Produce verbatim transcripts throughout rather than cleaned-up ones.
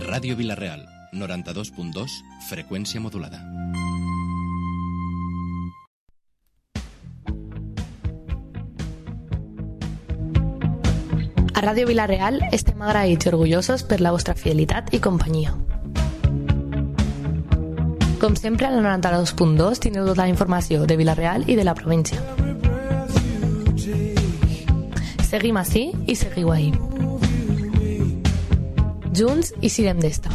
Ràdio Vila-real, noranta-dos punt dos, freqüència modulada. A Ràdio Vila-real estem agraïts i orgullosos per la vostra fidelitat i companyia. Com sempre, a la noranta-dos punt dos tindreu tota la informació de Vila-real i de la província. Seguim ací i seguiu ahí. Junts i sirem d'esta.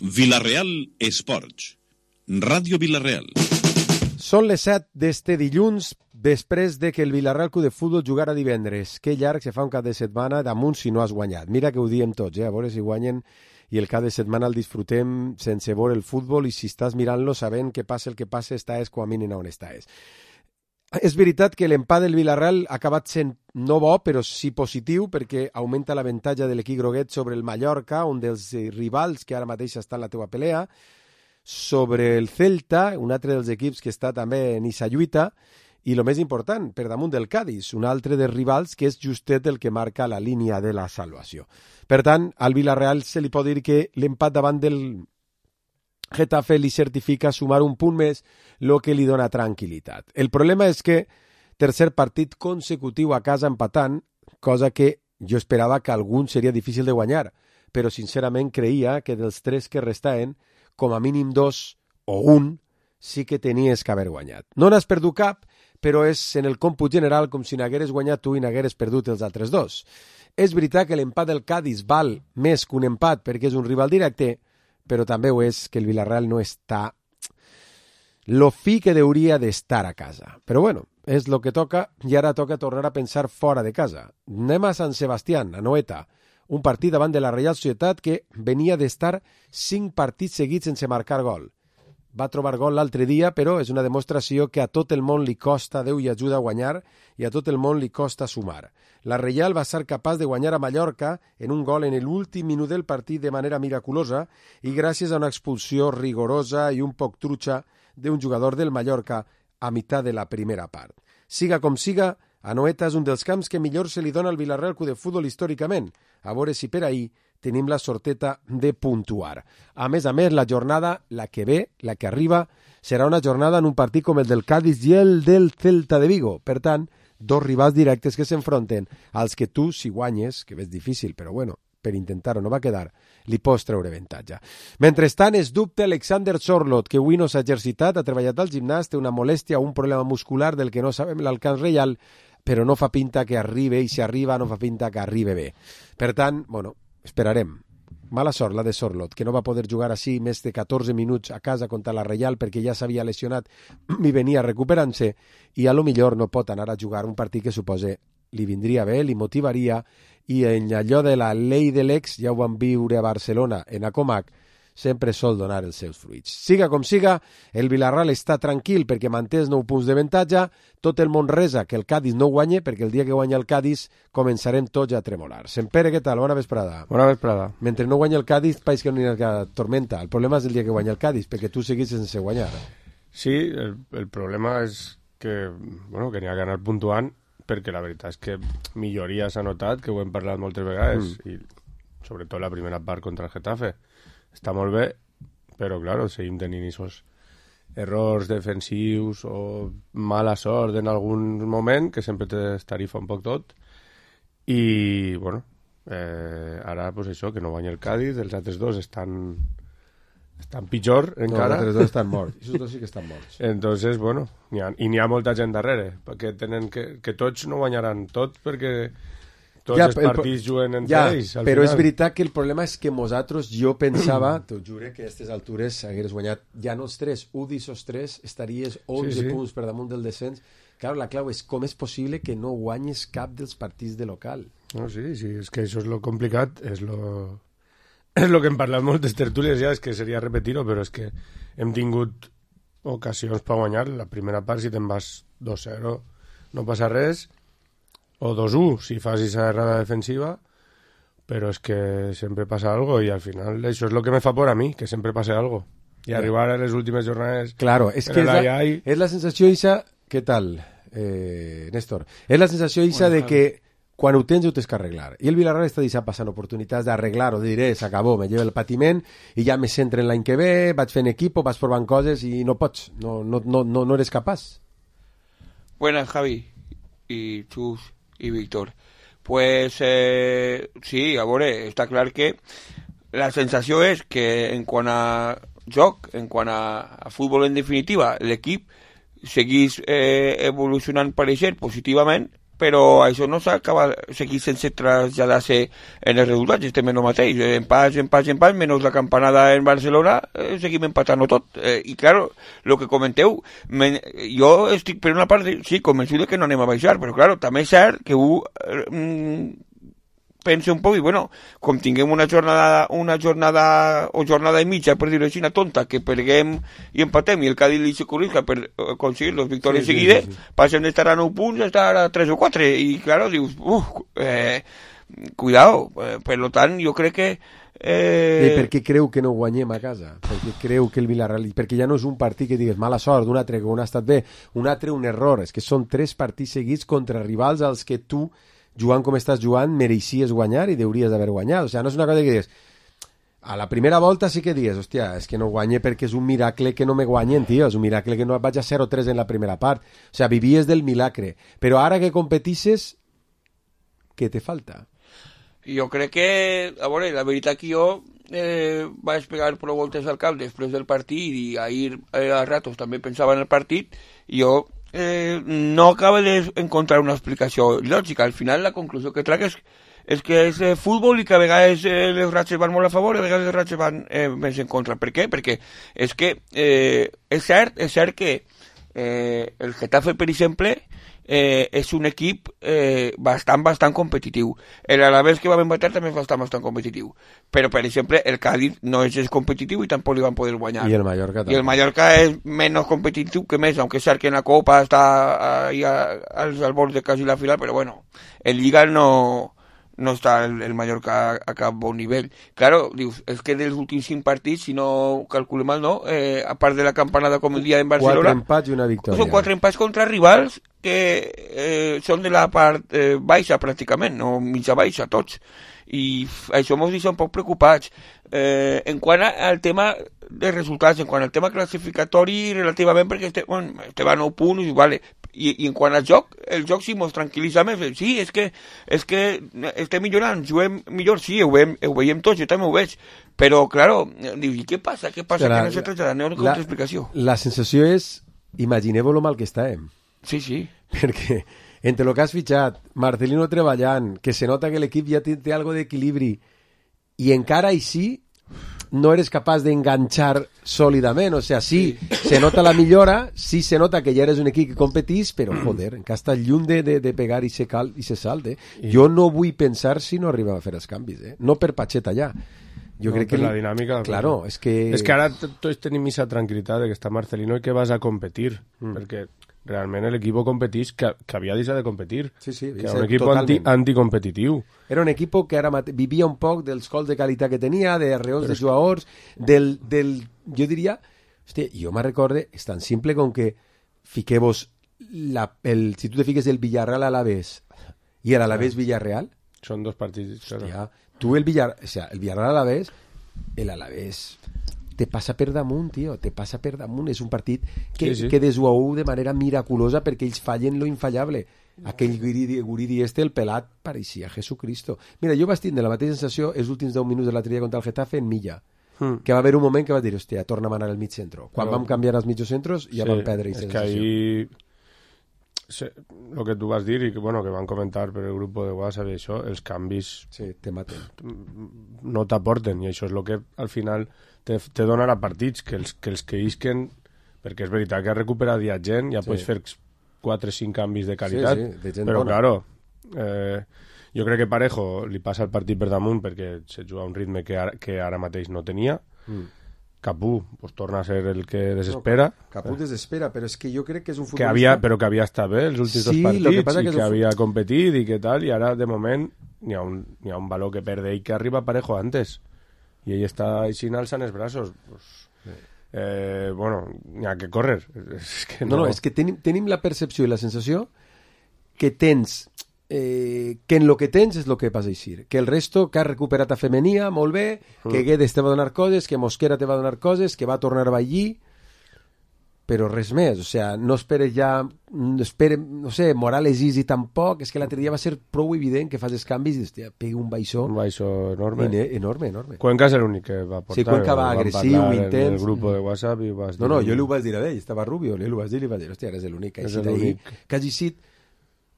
Vila-real Esports. Ràdio Vila-real. Són les set d'este dilluns, després de que el Vila-real Club de Futbol jugara divendres. Que llarg se fa un cap de setmana damunt si no has guanyat. Mira que ho diem tots, eh? A veure si guanyen i el cap de setmana el disfrutem sense veure el futbol i si estàs mirant-lo sabent que passa el que passa, estàs com a mínim on estàs. És veritat que l'empat del Vila-real ha acabat sent no bo, però sí positiu, perquè augmenta l'avantatge de l'equip groguet sobre el Mallorca, un dels rivals que ara mateix està en la teua pelea, sobre el Celta, un altre dels equips que està també en issa lluita, i el més important, per damunt del Cádiz, un altre dels rivals que és justet el que marca la línia de la salvació. Per tant, al Vila-real se li pot dir que l'empat davant del Getafe li certifica sumar un punt més, el que li dona tranquil·litat. El problema és que tercer partit consecutiu a casa empatant, cosa que jo esperava que algun seria difícil de guanyar, però sincerament creia que dels tres que restaven, com a mínim dos o un, sí que tenies que haver guanyat. No n'has perdut cap, però és en el còmput general com si n'hagueres guanyat tu i n'hagueres perdut els altres dos. És veritat que l'empat del Cádiz val més que un empat perquè és un rival directe, però també ho és que el Vila-real no està lo fi que hauria d'estar a casa. Però bueno, és lo que toca i ara toca tornar a pensar fora de casa. Anem a Sant Sebastián, a Noeta, un partit davant de la Reial Societat que venia d'estar cinc partits seguits sense marcar gol. Va trobar gol l'altre dia, però és una demostració que a tot el món li costa, Déu i ajuda a guanyar, i a tot el món li costa sumar. La Reial va ser capaç de guanyar a Mallorca en un gol en l'últim minut del partit de manera miraculosa i gràcies a una expulsió rigorosa i un poc trucha d'un jugador del Mallorca a meitat de la primera part. Siga com siga, Anoeta és un dels camps que millor se li dona al Vila-real Club de Futbol històricament. A veure si per ahir tenim la sorteta de puntuar. A més a més, la jornada, la que ve, la que arriba, serà una jornada en un partit com el del Cádiz i el del Celta de Vigo. Per tant, dos rivals directes que s'enfronten als que tu, si guanyes, que és difícil, però bueno, per intentar-ho no va quedar, li pots treure avantatge. Mentrestant, es dubte Alexander Sorloth, que avui no s'ha exercitat, ha treballat al gimnàs, té una molèstia o un problema muscular del que no sabem l'alcance real, però no fa pinta que arribi, i si arriba no fa pinta que arribi bé. Per tant, bueno, esperarem. Mala sort la de Sorloth, que no va poder jugar així més de catorze minuts a casa contra la Reial perquè ja s'havia lesionat i venia recuperant-se i a lo millor no pot anar a jugar un partit que supose li vindria bé, li motivaria i en allò de la llei de l'ex ja ho vam viure a Barcelona, en Acomac, sempre sol donar els seus fruits. Siga com siga, el Vila-real està tranquil perquè manté els nou punts d'avantatge, tot el món resa que el Cádiz no guanye perquè el dia que guanya el Cádiz començarem tots a tremolar. Sempere, què tal? Bona vesprada. Bona vesprada. Mentre no guanya el Cádiz, país que no hi ha tormenta. El problema és el dia que guanya el Cádiz, perquè tu seguis sense guanyar. Sí, el, el problema és que, bueno, que n'hi ha que anar puntuant, perquè la veritat és que milloria s'ha notat, que ho hem parlat moltes vegades, mm. i sobretot la primera part contra el Getafe. Està molt bé, però, clar, seguim tenint aquests errors defensius o mala sort en algun moment, que sempre t'estarifa un poc tot. I, bueno, eh, ara, pues això, que no guanya el Cádiz, els altres dos estan, estan pitjor encara. No, els altres dos estan morts. Aquests dos sí que estan morts. Entonces, bueno, n'hi ha, i n'hi ha molta gent darrere, perquè tenen que, que tots no guanyaran tot, perquè tots ja, els partits el, juguen entre ja, ells. Però final. És veritat que el problema és que nosaltres, jo pensava, t'ho jure, que a aquestes altures hagueres guanyat ja no els tres, un d'aquests tres, estaries onze sí, sí. punts per damunt del descens. Clar, la clau és com és possible que no guanyes cap dels partits de local. No, sí, sí, és que això és lo complicat, és lo, és lo que hem parlat moltes tertúlies ja, és que seria repetir-ho, però és que hem tingut ocasions per guanyar. La primera part, si te'n vas dos zero, no passa res, o dos u, si fas esa errada defensiva, però és que sempre passa algo i al final això és lo que me fa por a mi, que sempre passa algo. I arribar a les últimes jornades... Claro, és que és la, és la sensació, Isa, què tal? eh, Néstor. És la sensació eixa de que quan ho tens ho tens que arreglar. I el Villarreal està deixant passant oportunitats d'arreglar-ho, de dir, eh, s'acabó, me llevo el patiment i ja me centre en l'any que ve, vaig fent equip, vaig provant coses i no pots, no, no, no, no, no eres capaç. Buenas, Javi, y Chus, y Víctor. Pues eh, sí, a veure, està clar que la sensació és que en quant a joc, en quant a, a futbol en definitiva, l'equip seguís eh, evolucionant pareixer positivament, però això no s'acaba, seguir sense traslladar-se en els resultats, estem en el mateix, en pas, en pas, en pas, menys la campanada en Barcelona, eh, seguim empatant-ho tot, eh, i claro, el que comenteu, men, jo estic per una part, sí, convençut que no anem a baixar, però claro, també és cert que ho eh, pense un poc, i bueno, com tinguem una jornada, una jornada o jornada i mitja, per dir-ho així, una tonta, que perguem i empatem, i el Cádiz li se corrija per aconseguir les victòries sí, seguides, sí, sí, sí. Passem d'estar a nou punts a estar a tres o quatre, i claro, dius, uf, eh, cuidado, eh, per lo tant, jo crec que Eh... I per què creu que no guanyem a casa? Perquè creu que el Villarreal... Perquè ja no és un partit que digues mala sort, un altre que un ha estat bé, un altre un error, és que són tres partits seguits contra rivals als que tu, jugant com estàs jugant, mereixies guanyar i hauries d'haver guanyat. O sigui, no és una cosa que digues a la primera volta sí que digues, hòstia, és que no guanye perquè és un miracle que no me guanyen, tio, és un miracle que no vaig a zero tres en la primera part. O sigui, vivies del milagre. Però ara que competisses, què te falta? Jo crec que, a veure, la veritat que jo eh, vaig pegar prou voltes al cap després del partit i ahir eh, a ratos també pensava en el partit i jo eh, no acabo d'encontrar una explicació lògica. Al final la conclusió que trac és, és que és eh, futbol i que a vegades eh, les ratxes van molt a favor i a vegades les ratxes van eh, més en contra. Per què? Perquè és que eh, és cert, és cert que eh, el Getafe, per exemple, Eh, és un equip eh, bastant, bastant competitiu. L'Alavés que vam empatar també és bastant, bastant competitiu. Però, per exemple, el Cádiz no és competitiu i tampoc li van poder guanyar. I el Mallorca també. I el Mallorca és menys competitiu que més, aunque és cert que en la Copa està ahí als albors de quasi la final, però bueno, en Lliga no... no està el, el Mallorca a, a cap bon nivell. Claro, dius, és que dels últims cinc partits, si no calculem mal, no? Eh, a part de la campanada com el dia en Barcelona... Quatre empats i una victòria. Són quatre empats contra rivals que eh, són de la part eh, baixa, pràcticament, no mitja baixa, tots. I això mos deixa un poc preocupats. Eh, en quant al tema de resultats, en quant al tema classificatori, relativament, perquè estem, bueno, estem a nou punts, vale. I, i en quant al joc, el joc sí mos tranquil·litza més. Sí, és que, és que estem millorant, juguem millor, sí, ho veiem, ho veiem tots, jo també ho veig, però, claro, dius, i què passa? Què passa? La, que no se tracta de no la, explicació. La sensació és, imagineu lo mal que estàvem. Sí, sí. Perquè entre el que has fitxat, Marcelino treballant, que se nota que l'equip ja té, té algo d'equilibri, i encara així no eres capaç d'enganxar sòlidament, o sigui, sí, sí, se nota la millora, sí se nota que ja eres un equip que competís, però, joder, encara està lluny de, de, de pegar i se, cal, i se salt, eh? Jo no vull pensar si no arriba a fer els canvis, eh? No per Pacheta ja. Jo no, crec que la dinàmica... Claro, és que... És que ara tots tenim aquesta tranquil·litat de que està Marcelino i que vas a competir, mm. perquè realment l'equip competís que, que havia deixat de competir, sí, sí, que era un equip anti, anticompetitiu. Era un equip que ara mate... vivia un poc dels gols de qualitat que tenia, de arreons de jugadors, del, del... jo diria... Hòstia, jo me recorde, és tan simple com que fiqueu-vos la, el, si tu te fiques el Villarreal a l'Alavés i l'Alavés Villarreal... Són dos partits. Hòstia, tu el Villarreal... O sea, el Villarreal a l'Alavés, l'Alavés... te passa per damunt, tio, te passa per damunt. És un partit que, sí, sí. que desguau de manera miraculosa perquè ells fallen lo infallable. Aquell Guridi, Guridi este, el pelat, pareixia Jesucristo. Mira, jo vaig tindre la mateixa sensació els últims deu minuts de l'altre dia contra el Getafe en Milla, hmm. que va haver un moment que va dir, hòstia, torna a anar al mig centro. Quan Però... vam canviar els mitjos centros ja sí, vam perdre aquesta sensació. És que ahí... el que tu vas dir i que, bueno, que van comentar per el grup de WhatsApp i això, els canvis sí, te maten. No t'aporten i això és el que al final te, te donarà partits que els que, els que isquen, perquè és veritat que ha recuperat ja gent, ja sí. pots fer quatre o cinc canvis de qualitat, sí, sí, de gent però bona. Claro, eh, jo crec que Parejo li passa el partit per damunt perquè se juga a un ritme que ara, que ara mateix no tenia. mm. Capú pues, torna a ser el que desespera. No, Capú desespera, però és que jo crec que és un futbolista... Que havia, però que havia estat bé els últims sí, dos partits que i que, que havia un... competit i que tal, i ara de moment n'hi ha un, n'hi ha un valor que perde i que arriba Parejo antes. I ell està així alçant els braços. Pues... eh, bueno, n'hi ha que córrer. És que no, no, no, és que tenim, tenim la percepció i la sensació que tens... Eh, que en lo que tens és el que vas a eixir, que el resto que has recuperat a Femenia, molt bé, mm. que Guedes te va donar coses, que Mosquera te va donar coses, que va tornar a allí, però res més, o sea, no esperes ja, no esperes, no sé, Morales Easy tampoc, és que l'altre dia va ser prou evident que fas els canvis i hòstia, pega un baixó, un baixó enorme. Ene, enorme, enorme. Cuenca és l'únic que va portar. Sí, Cuenca va agressiu, intens. En el grup de WhatsApp i vas dir... No, no, jo li ho vaig dir a ell, estava Rubio, li ho vaig dir i li vaig dir, hòstia, eres l'únic que ha eixit ahí, que ha eixit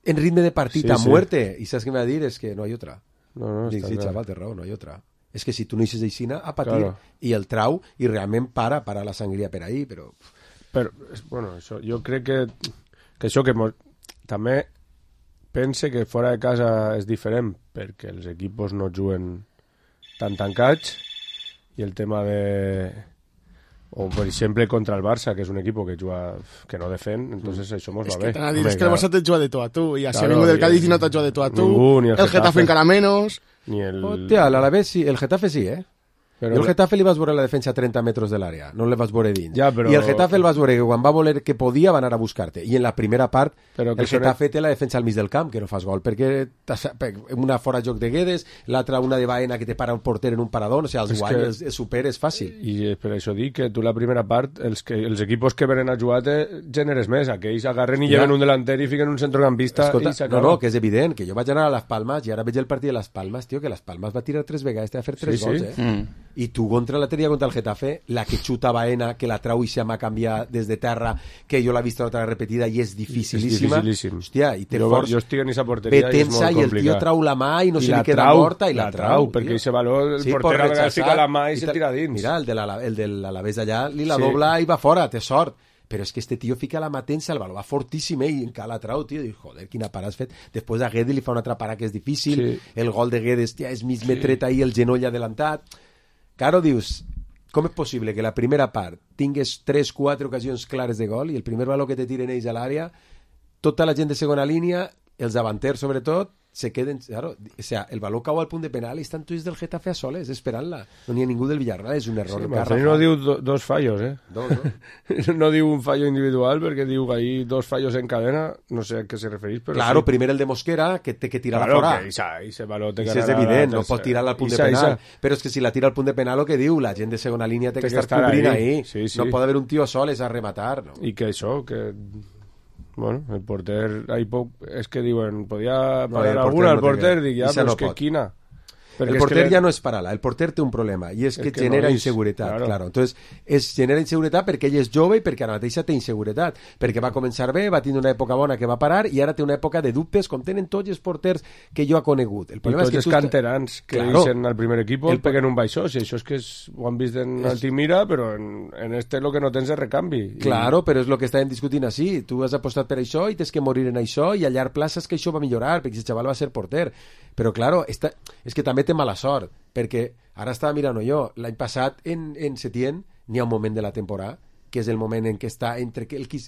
en ritme de partit sí, a sí. muerte, i saps què me va dir? És que no hi ha otra. No, no, Dic, sí, clar. xaval, té raó, no hi ha otra. És que si tu no eixes aixina, a patir, claro. i el trau, i realment para, para la sangria per ahí, però... Però, bueno, això, jo crec que, que això que mos, també pense que fora de casa és diferent, perquè els equipos no juguen tan tancats, i el tema de... O, per exemple, contra el Barça, que és un equip que juga, que no defen, entonces això mos va bé. Es que, dir, es que el Barça te juga de tu a tu, i així claro, ha vingut el Cádiz i no te juga de tu a tu, ningú, ni el, el Getafe, Getafe encara menos... Ni el... Hòstia, l'Alavés sí, el Getafe sí, eh? Però jo el Getafe li vas veure la defensa a trenta metres de l'àrea, no le vas veure dins. Ja, però... I el Getafe el vas veure que quan va voler que podia va anar a buscar-te. I en la primera part però el Getafe té la defensa al mig del camp, que no fas gol, perquè una fora joc de Guedes, l'altra una de Baena que te para un porter en un parador, o sigui, els guany, que... el super és fàcil. I per això dic que tu la primera part, els, que, els equipos que venen a jugar te generes més, aquells agarren i ja. lleven un delanter i fiquen un centrocampista. Escolta, i s'acaba. No, no, que és evident, que jo vaig anar a les Palmes i ara veig el partit de les Palmes, tio, que les Palmes va tirar tres vegades, te va fer tres sí, gols, sí. eh? Mm. I tu contra la teria contra el Getafe, la que xuta Baena, que la trau i se m'ha canviat des de terra, que jo l'he vist l'altra repetida i és dificilíssima. És dificilíssim. Hòstia, i té jo, força. Jo estic en aquesta porteria i és molt complicat. I el tio trau la mà i no I se li queda trau, morta i la, la trau. trau perquè aquest valor, el sí, porter a vegades fica la mà i, i se tira dins. Mira, el de la, el de l'Alavés d'allà li la sí. dobla i va fora, té sort. Però és que este tio fica la mà tensa, el valor va fortíssim eh, i encara la trau, tio, i joder, quina parada has fet. Després a Guedes li fa una altra parada que és difícil, sí. el gol de Guedes, tia, és mig metret ahí, el genoll adelantat. Claro, dius, com és possible que la primera part tingues tres quatre ocasions clares de gol i el primer valor que te tiren ells a l'àrea, tota la gent de segona línia, els davanters sobretot, se queden, claro, o sea, el valor cau al punt de penal i estan tuits del Getafe a soles, esperant-la. No n'hi ha ningú del Villarreal, és un error. Sí, Marcelí no diu do, dos fallos, eh? Dos, no? no diu un fallo individual, perquè diu que ahí dos fallos en cadena, no sé a què se referís, però claro, sí. primer el de Mosquera, que té que tirar claro, la fora. Que isa, ise valor té que és evident, no pot tirar-la al punt isa, de penal. Isa. Però és que si la tira al punt de penal, el que diu, la gent de segona línia té, té que, que estar cobrint ahí. ahí. Sí, sí. No pot haver un tio soles a rematar. No? I que això, que... Bueno, el porter, ahí poc, és que diuen, podia parar no, alguna, el porter, no dic, ja, però no és que pot. Quina... Perquè el porter que... ja no és para-la, el porter té un problema i és, és que, que genera no és, inseguretat, claro. claro. Entonces, es genera inseguretat perquè ell és jove i perquè ara mateixa té inseguretat, perquè va començar bé, va tenir una època bona que va parar i ara té una època de dubtes com tenen tots els porters que jo ha conegut. El problema I tots és que els canterans que claro. Deixen al primer equip el... peguen un baixó, si això és que és, ho han vist en és... Altimira, però en, en este lo que no tens és recanvi. Claro, I... però és el que estàvem discutint així, tu has apostat per això i tens que morir en això i a llarg plaç és que això va millorar, perquè el xaval va ser porter. Però, claro, esta... és que també té mala sort, perquè ara estava mirant jo, l'any passat en, en Setién n'hi ha un moment de la temporada que és el moment en què està entre que el qui...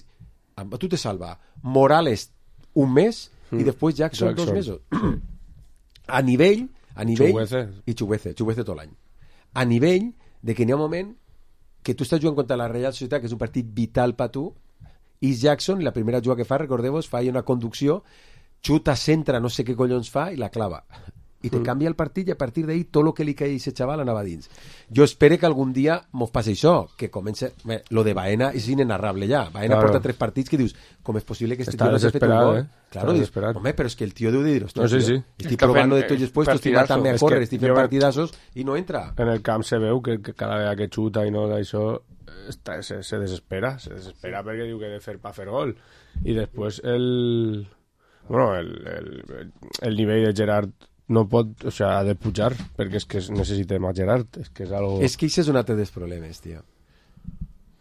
tu te salva Morales un mes mm. i després Jackson, Jackson dos mesos a nivell, a nivell Chuguece. i Chuguece, Chuguece tot l'any a nivell de que n'hi ha un moment que tu estàs jugant contra la Real Societat, que és un partit vital per tu, i Jackson, la primera jugada que fa, recordeu-vos, fa una conducció, xuta, centra, no sé què collons fa i la clava i te mm. canvia el partit i a partir d'ahí tot el que li caia a aquest xaval anava dins. Jo espero que algun dia mos passi això, que comença... Bé, lo de Baena és inenarrable ja. Baena claro. porta tres partits que dius, com és possible que este Està tio no s'ha fet un gol? Eh? Claro, dius, home, però és que el tio deu de dir, no, sí, sí. estic provant de tots els puestos, estic matant-me a córrer, estic fent partidassos i no entra. En el camp se veu que, que cada vegada que xuta i no d'això està, se, se desespera, se desespera perquè diu que ha de fer pa fer gol. I després el... Bueno, el, el, el nivell de Gerard no pot, o sea, ha de pujar perquè és que necessitem a Gerard, és que és algo... És que això és un altre dels problemes, tio.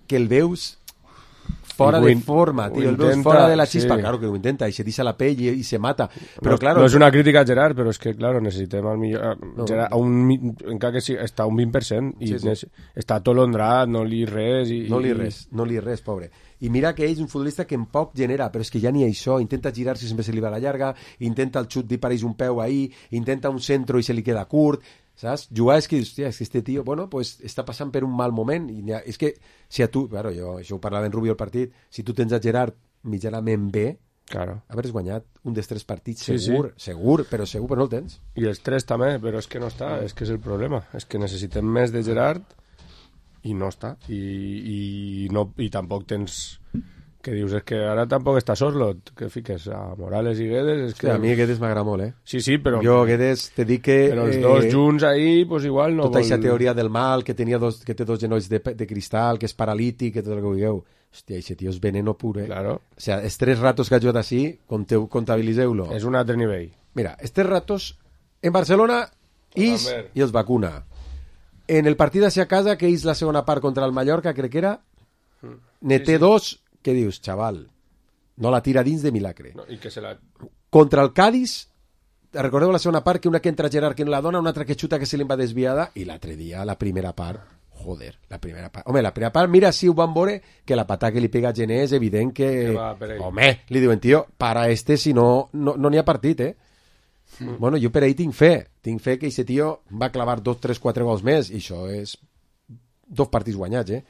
Que el veus fora de forma, tio, el veus fora de la xispa, sí. Claro que ho intenta, i se deixa la pell i, i se mata, però no, claro... No és una crítica a Gerard, però és que, claro, necessitem al millor... No, Gerard, a un, encara que sí, està a un vint per cent, i sí, sí. Està atolondrat, no li res... I, no li res, no li res, pobre. I mira que ell és un futbolista que en poc genera, però és que ja n'hi ha això, intenta girar-se i sempre se li va a la llarga, intenta el xut i pareix un peu ahí, intenta un centro i se li queda curt, saps? Jugar és que, hòstia, és que este tio, bueno, pues està passant per un mal moment, i ha, és que si a tu, claro, jo, això ho parlava en Rubio al partit, si tu tens a Gerard mitjanament bé, claro, haveres guanyat un dels tres partits, sí, segur, sí. segur, però segur, però no el tens. I els tres també, però és que no està, és que és el problema, és que necessitem més de Gerard i no està, i, i, no, i tampoc tens... Que dius, és que ara tampoc està Sorlot, que fiques a Morales i Guedes... És que... Sí, a mi Guedes m'agrada molt, eh? Sí, sí, però... Jo, Guedes, te dic que... Però els dos eh, junts ahí, pues igual no tota vol... aquesta teoria del mal, que, tenia dos, que té dos genolls de, de cristal, que és paralític, que tot el que vulgueu. Hòstia, aquest tio és veneno pur, eh? Claro. O sea, els tres ratos que ha jugat així, comptabilitzeu-lo. És un altre nivell. Mira, els tres ratos en Barcelona is i els vacuna. En el partit hacia casa, que és la segona part contra el Mallorca, crec que era, ne té sí, sí. dos, que dius, xaval, no la tira dins de milagre. No, i que se la... Contra el Cádiz, recordeu la segona part, que una que entra Gerard que no la dona, una altra que xuta que se li va desviada, i l'altre dia, la primera part, joder, la primera part. Home, la primera part, mira si ho van veure, que la patada que li pega a Gené és evident que... que va, home, li diuen, tio, para este, si no, no, no n'hi ha partit, eh? Mm. Bueno, jo per ahí tinc fe. Tinc fe que aquest tio va clavar dos, tres, quatre gols més, i això és dos partits guanyats, eh?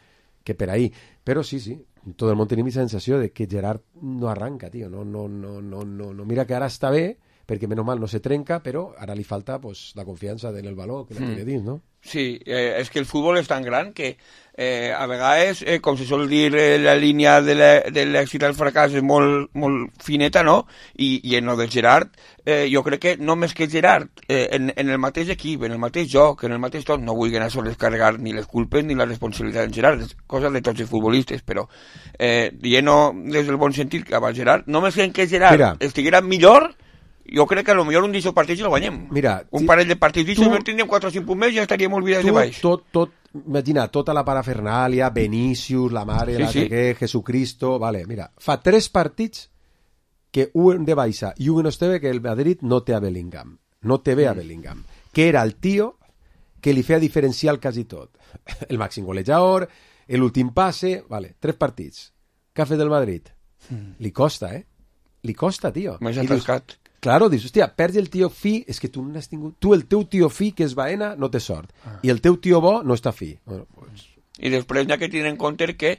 Que per ahí. Però sí, sí, tot el món tenim la sensació de que Gerard no arranca, tio. No, no, no, no, no, no. Mira que ara està bé, perquè menys mal no se trenca, però ara li falta pues, la confiança en el valor que la té dins, no? Sí, eh, és que el futbol és tan gran que eh, a vegades, eh, com se sol dir, eh, la línia de l'èxit al fracàs és molt, molt fineta, no? I, i en el de Gerard, eh, jo crec que no més que Gerard, eh, en, en el mateix equip, en el mateix joc, en el mateix tot, no vull anar a descarregar ni les culpes ni la responsabilitat en Gerard, és cosa de tots els futbolistes, però eh, dient-ho des del bon sentit cap al Gerard, només que en que Gerard Mira. estiguera millor, jo crec que a lo millor un d'eixos partits el guanyem. Mira, un parell de partits d'eixos, no tindríem quatre o cinc punts més i ja estaríem olvidats de baix. Tot, tot, imagina, tota la parafernàlia, Vinícius, la mare, sí, la sí. que Jesucristo, vale, mira, fa tres partits que un de baixa i un no té que el Madrid no té a Bellingham. No té bé a Bellingham. Que era el tio que li feia diferencial quasi tot. El màxim golejador, l'últim passe, vale, tres partits. Què ha fet el Madrid? Mm. Li costa, eh? Li costa, tio. Més atascat. Claro, dius, hòstia, perds el tio fi, és que tu no has tingut... Tu, el teu tio fi, que és Baena, no té sort. Ah. I el teu tio bo no està fi. Bueno, pues... I després hi ha que tenir en compte que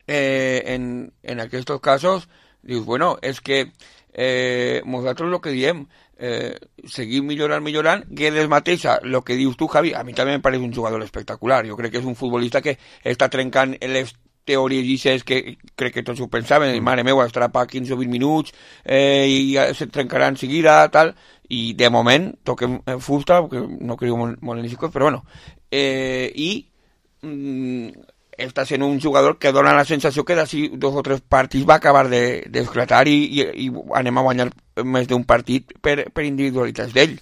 eh, en, en aquests casos, dius, bueno, és que eh, nosaltres el que diem, eh, seguim millorant, millorant, Guedes mateixa, el que dius tu, Javi, a mi també em pareix un jugador espectacular. Jo crec que és un futbolista que està trencant les teories llices que crec que tots ho pensaven, mm. mare meva, estarà per quinze o vint minuts eh, i ja se trencarà en seguida, tal, i de moment toquem fusta, perquè no crec molt, molt en això, però bueno, eh, i mm, està sent un jugador que dona la sensació que d'ací dos o tres partits va acabar d'esclatar de, i, i, i anem a guanyar més d'un partit per, per individualitats d'ell.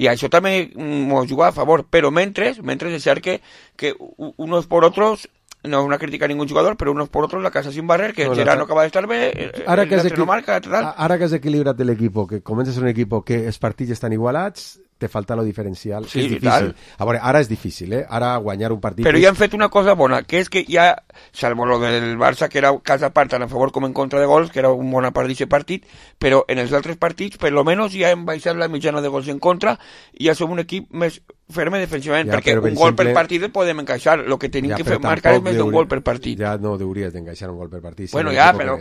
I això també m'ho juga a favor, però mentre, mentre és cert que, que unos por otros no es una crítica a ningún jugador, pero unos por otros la casa sin barrer, que no, Gerard no acaba de estar bé, ara que, no marca, tal. Ara que has equilibrat l'equip, que comença a ser un equip que els partits estan igualats, te falta lo diferencial. Sí, és difícil. A veure, ara és difícil, eh? Ara guanyar un partit... Però ja han fet una cosa bona, que és que ja, salvo lo del Barça, que era casa part tant a favor com en contra de gols, que era una bona part d'aquest partit, però en els altres partits, per lo menos, ja hem baixat la mitjana de gols en contra i ja som un equip més ferme defensivament, ja, perquè un per gol exemple, per partit el podem encaixar, el que tenim ja, que fer, marcar és més d'un gol per partit. Ja no hauries d'encaixar un gol per partit. Si bueno, ja, però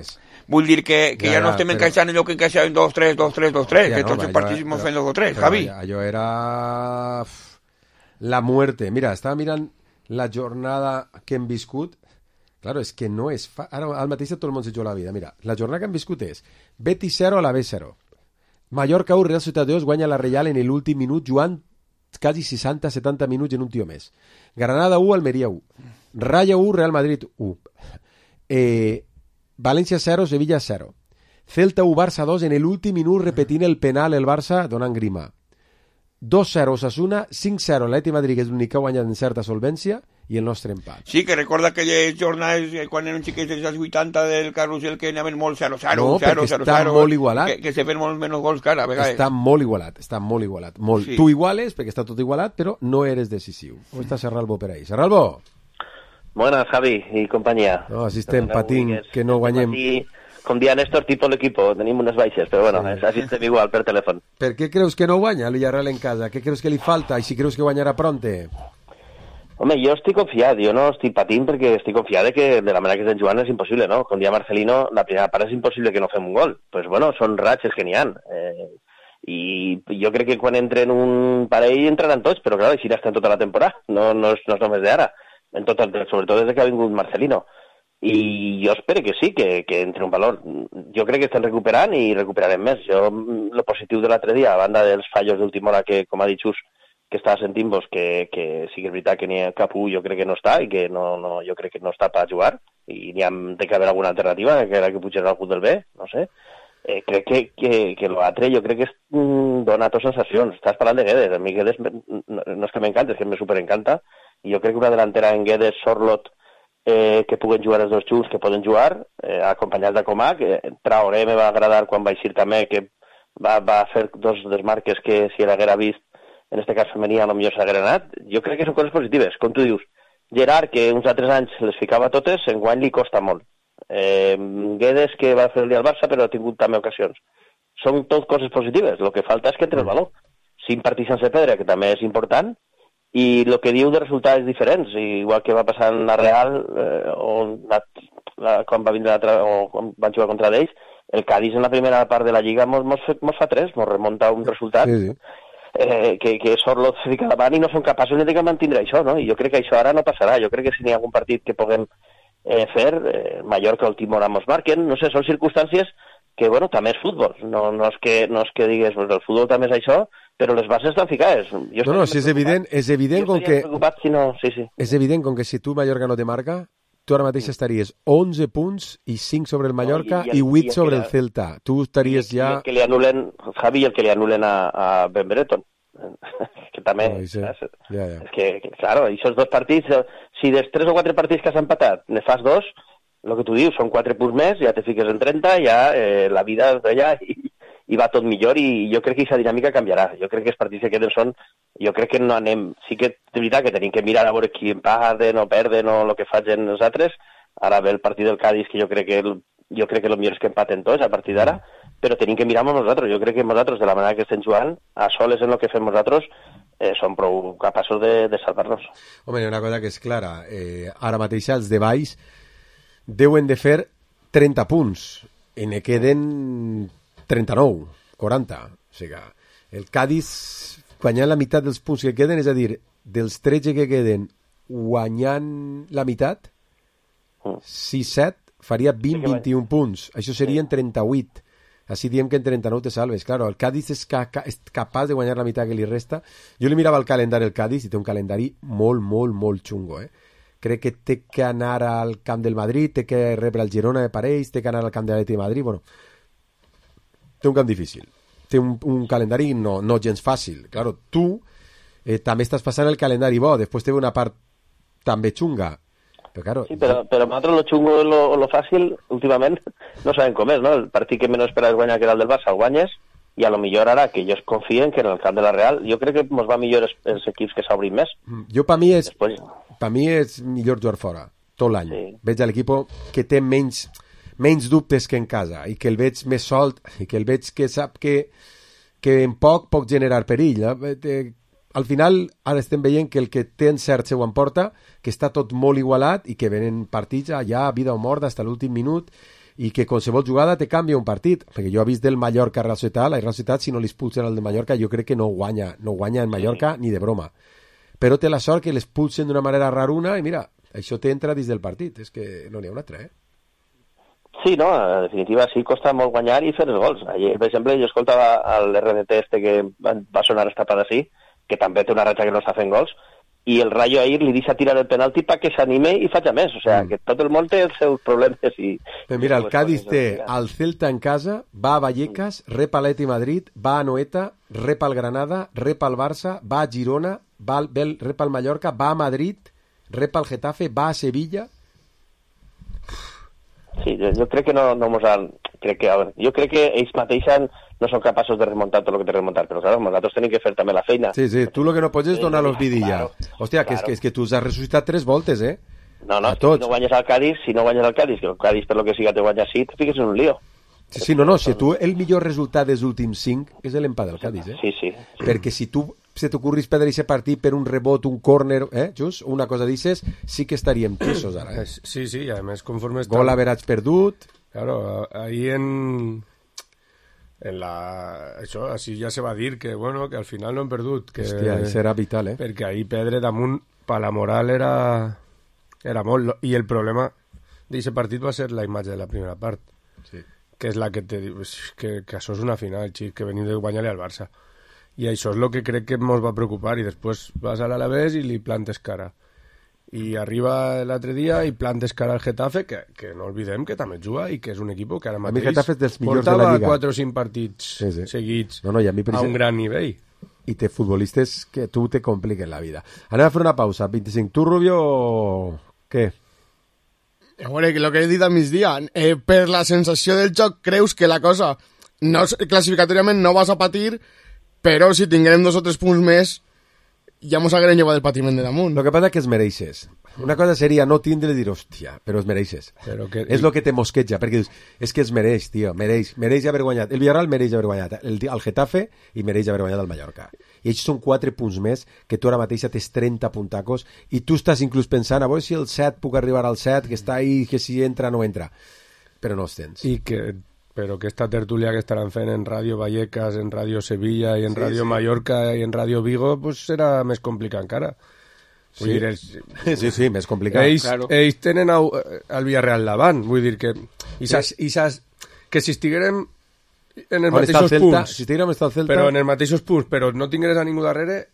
vull dir que, que ja, ja no estem però... encaixant allò que encaixàvem dos tres, dos tres, dos tres, ja, que no, tots els partits estem fent dos o tres, Javi. Allò era la muerte. Mira, estava mirant la jornada que hem viscut. Claro, és que no és... Fa... Ara al mateix tot el món se juga la vida. Mira, la jornada que hem viscut és Betis zero a la B zero. Mallorca u, Real Societat dos, guanya la Reial en l'últim minut jugant quasi seixanta setanta minuts en un tio més. Granada u, Almeria u. Raya u, Real Madrid u. Eh, València zero, Sevilla zero. Celta u, Barça dos, en l'últim minut repetint el penal el Barça donant grima. dos zero Osasuna, cinc zero l'Atlètic Madrid, que és l'únic que ha guanyat en certa solvència, i el nostre empat. Sí, que recorda aquelles jornades quan eren xiquets dels anys vuitanta del carrusel que anaven molt zero zero, no, zero zero, està zero, molt igualat. Que, que se fen molt menys gols que ara, a vegades. Està molt igualat, està molt igualat. Molt. Sí. Tu iguales, perquè està tot igualat, però no eres decisiu. Com està Serralbo per ahí? Serralbo? Buenas, Javi y compañía. No, així estem patint, que no guanyem. com dia Néstor, tipo l'equipo, tenim unes baixes, però bueno, sí. Així estem igual per telèfon. Per què creus que no guanya el Villarreal en casa? Què creus que li falta? I si creus que guanyarà pronte? Home, jo estic confiat, jo no estic patint perquè estic confiat de que de la manera que estem jugant és impossible, no? Com dia Marcelino, la primera part és impossible que no fem un gol. Doncs pues bueno, són ratxes que n'hi ha. Eh, I jo crec que quan entren un parell entraran tots, però clar, així estan tota la temporada, no, no, és, no és només d'ara, en tot el, sobretot des que ha vingut Marcelino. I jo espero que sí, que, que entre un valor. Jo crec que estan recuperant i recuperarem més. Jo, el positiu de l'altre dia, a banda dels fallos d'última hora que, com ha dit Xus, que estava sentint-vos, que, que sí que és veritat que n'hi ha cap un, jo crec que no està, i que no, no, jo crec que no està per jugar, i n'hi ha de que haver alguna alternativa, que era que pujarà algú del B, no sé. Eh, crec que, que, que l'altre jo crec que es, mm, dona a tots sensacions. Estàs parlant de Guedes, a mi Guedes no, no és que m'encanta, és que me superencanta, i jo crec que una delantera en Guedes, Sorlot, eh, que puguen jugar els dos junts, que poden jugar, eh, acompanyats de Comac, eh, Traoré me va agradar quan va eixir també, que va, va fer dos desmarques que si l'haguera vist, en este cas femení, a lo millor s'haguera anat. Jo crec que són coses positives, com tu dius. Gerard, que uns altres anys les ficava totes, enguany li costa molt. Eh, Guedes, que va fer el dia al Barça, però ha tingut també ocasions. Són tot coses positives, el que falta és que entre el valor. Cinc partits sense perdre, que també és important, i el que diu de resultats diferents, igual que va passar en la Real, eh, o la, la, quan va vindre la, o quan van jugar contra d'ells, el Cádiz en la primera part de la Lliga mos, mos, mos fa tres, mos remunta un resultat sí, sí. Eh, que, que Sorlot se fica davant i no són capaços ni de que mantindre això, no? I jo crec que això ara no passarà. Jo crec que si n'hi ha algun partit que puguem eh, fer, eh, Mallorca o el Timor mos marquen, no sé, són circumstàncies que, bueno, també és futbol. No, no, és, que, no és que digues, pues, el futbol també és això, però les bases estan ficades. Jo no, no, si és evident, és evident com que... Si no... sí, sí. És evident com que si tu Mallorca no te marca, tu ara mateix estaries onze punts i cinc sobre el Mallorca no, i, i, i vuit i sobre el, el Celta. Tu estaries i, ja... I el que li anulen, Javi, el que li anulen a, a Ben Brereton. Que també... No, sí. ja, ja. És que, que, claro, aquests dos partits, si dels tres o quatre partits que s'han empatat ne fas dos, el que tu dius, són quatre punts més, ja te fiques en trenta, ja eh, la vida és d'allà i, i va tot millor, i jo crec que aquesta dinàmica canviarà. Jo crec que els partits que queden són... Jo crec que no anem... Sí que és veritat que tenim que mirar a veure qui empaten o perden o el que facin els altres. Ara ve el partit del Cádiz, que jo crec que el, jo crec que el millor és que empaten tots a partir d'ara, però tenim que mirar amb nosaltres. Jo crec que nosaltres, de la manera que estem jugant, a soles en el que fem nosaltres, eh, som prou capaços de, de salvar-nos. Home, hi ha una cosa que és clara. Eh, ara mateix els de baix deuen de fer trenta punts i ne queden trenta-nou, quaranta. O sigui, el Cádiz guanyant la meitat dels punts que queden, és a dir, dels tretze que queden guanyant la meitat, sis set, faria vint a vint i un punts. Això serien trenta-vuit. Així diem que en trenta-nou te salves. Claro, el Cádiz és, ca és capaç de guanyar la meitat que li resta. Jo li mirava el calendari del Cádiz i té un calendari molt, molt, molt xungo, eh? Crec que té que anar al camp del Madrid, té que rebre el Girona de parells, té que anar al camp de l'Atlètic de Madrid, bueno, té un camp difícil. Té un, un calendari no, no gens fàcil. Claro, tu eh, també estàs passant el calendari bo, després té una part també xunga. Però, claro, sí, però, però nosaltres lo xungo o lo, lo fàcil, últimament, no sabem com és, no? El partit que menys esperes guanyar, que era el del Barça, el guanyes, i a lo millor ara que ells confien que en el camp de la Real, jo crec que ens va millor els, els equips que s'obrin més. Jo, per mi, és, Després... per mi és millor jugar fora, tot l'any. Sí. Veig a l'equip que té menys, menys dubtes que en casa, i que el veig més solt, i que el veig que sap que, que en poc pot generar perill. Eh? Al final, ara estem veient que el que té encert seu emporta, que està tot molt igualat i que venen partits allà, vida o mort, fins a l'últim minut, i que qualsevol jugada te canvia un partit, perquè jo he vist del Mallorca a Real Societat, la Real Societat, si no li expulsen el de Mallorca, jo crec que no guanya, no guanya en Mallorca ni de broma. Però té la sort que l'expulsen d'una manera raruna i mira, això t'entra dins del partit, és que no n'hi ha una altra, eh? Sí, no, en definitiva sí costa molt guanyar i fer els gols. Ayer, per exemple, jo escoltava l'R D T este que va sonar esta part així, que també té una ratxa que no està fent gols, i el Rayo ahir li deixa tirar el penalti perquè s'anime i faci més. O sigui, mm. que tot el món té els seus problemes. I, Però mira, el Cádiz té al Celta en casa, va a Vallecas, rep a l'Atlètic Madrid, va a Anoeta, rep al Granada, rep al Barça, va a Girona, va al, rep al Mallorca, va a Madrid, rep al Getafe, va a Sevilla. Sí, jo, jo crec que no, no mos han... Crec que, a veure, jo crec que ells mateixos no són capaços de remuntar tot el que té remuntar, però clar, nosaltres tenim que fer també la feina. Sí, sí, tu el que no pots és donar-los vidilla. Claro, Hòstia, claro. que, és, que, és que tu has ressuscitat tres voltes, eh? No, no, a tots. si no guanyes al Cádiz, si no guanyes al Cádiz, que el Cádiz per lo que siga te guanya així, te fiques en un lío. Sí, sí, no, no, si tu el millor resultat dels últims cinc és l'empat del Cádiz, eh? Sí, sí. Perquè si tu se t'ocorris perdre aquest partit per un rebot, un córner, eh, just, una cosa d'ixes, sí que estaríem tisos ara, eh? Sí, sí, i a més conforme està... Gol averats perdut... Claro, ahí en... En la... Això, així ja se va dir que, bueno, que al final no hem perdut. Que... Hòstia, això era vital, eh? Perquè ahí perdre damunt, per la moral, era... Era molt... I el problema d'aquest partit va ser la imatge de la primera part. Sí. Que és la que te diu que, que això és una final, xic, que venim de guanyar-li al Barça. I això és el que crec que ens va preocupar, i després vas a l'Alavés i li plantes cara. I arriba l'altre dia i plantes cara al Getafe, que, que no oblidem que també juga i que és un equip que ara mateix Getafe és dels millors de la portava Lliga. quatre o cinc partits Sí, sí. seguits No, no, i a mi, per a un exemple- gran nivell. I té futbolistes que tu te compliquen la vida. Anem a fer una pausa. vint-i-cinc. Tu, Rubio, o què? A veure, que el que he dit a migdia, eh, per la sensació del joc creus que la cosa no, classificatòriament no vas a patir, però si tinguem dos o tres punts més ja mos haguem llevat el patiment de damunt. Lo que passa que es mereixes. Una cosa seria no tindre i dir, hòstia, però es mereixes. Però que- És el que te mosqueja, perquè dius, és que es mereix, tio, mereix, mereix haver guanyat. El Villarreal mereix haver guanyat el, el Getafe i mereix haver guanyat el Mallorca. I ells són quatre punts més, que tu ara mateixa tens trenta puntacos, i tu estàs inclús pensant, a veure si el set puc arribar al set, que està ahí, que si entra no entra. Però no els tens. I que, però aquesta tertúlia que estaran fent en Ràdio Vallecas, en Ràdio Sevilla i en Sí, Ràdio sí. Mallorca i en Ràdio Vigo, pues serà més complicat encara. Vull Sí. dir, els, Sí, sí, més complicat. ells, Claro. ells tenen au, el Villarreal davant, vull dir que i saps, i saps que si estiguérem en els On està el mateixos Celta? punts, Si estiguérem està el Celta... però en els mateixos punts, però no tingueres a ningú darrere,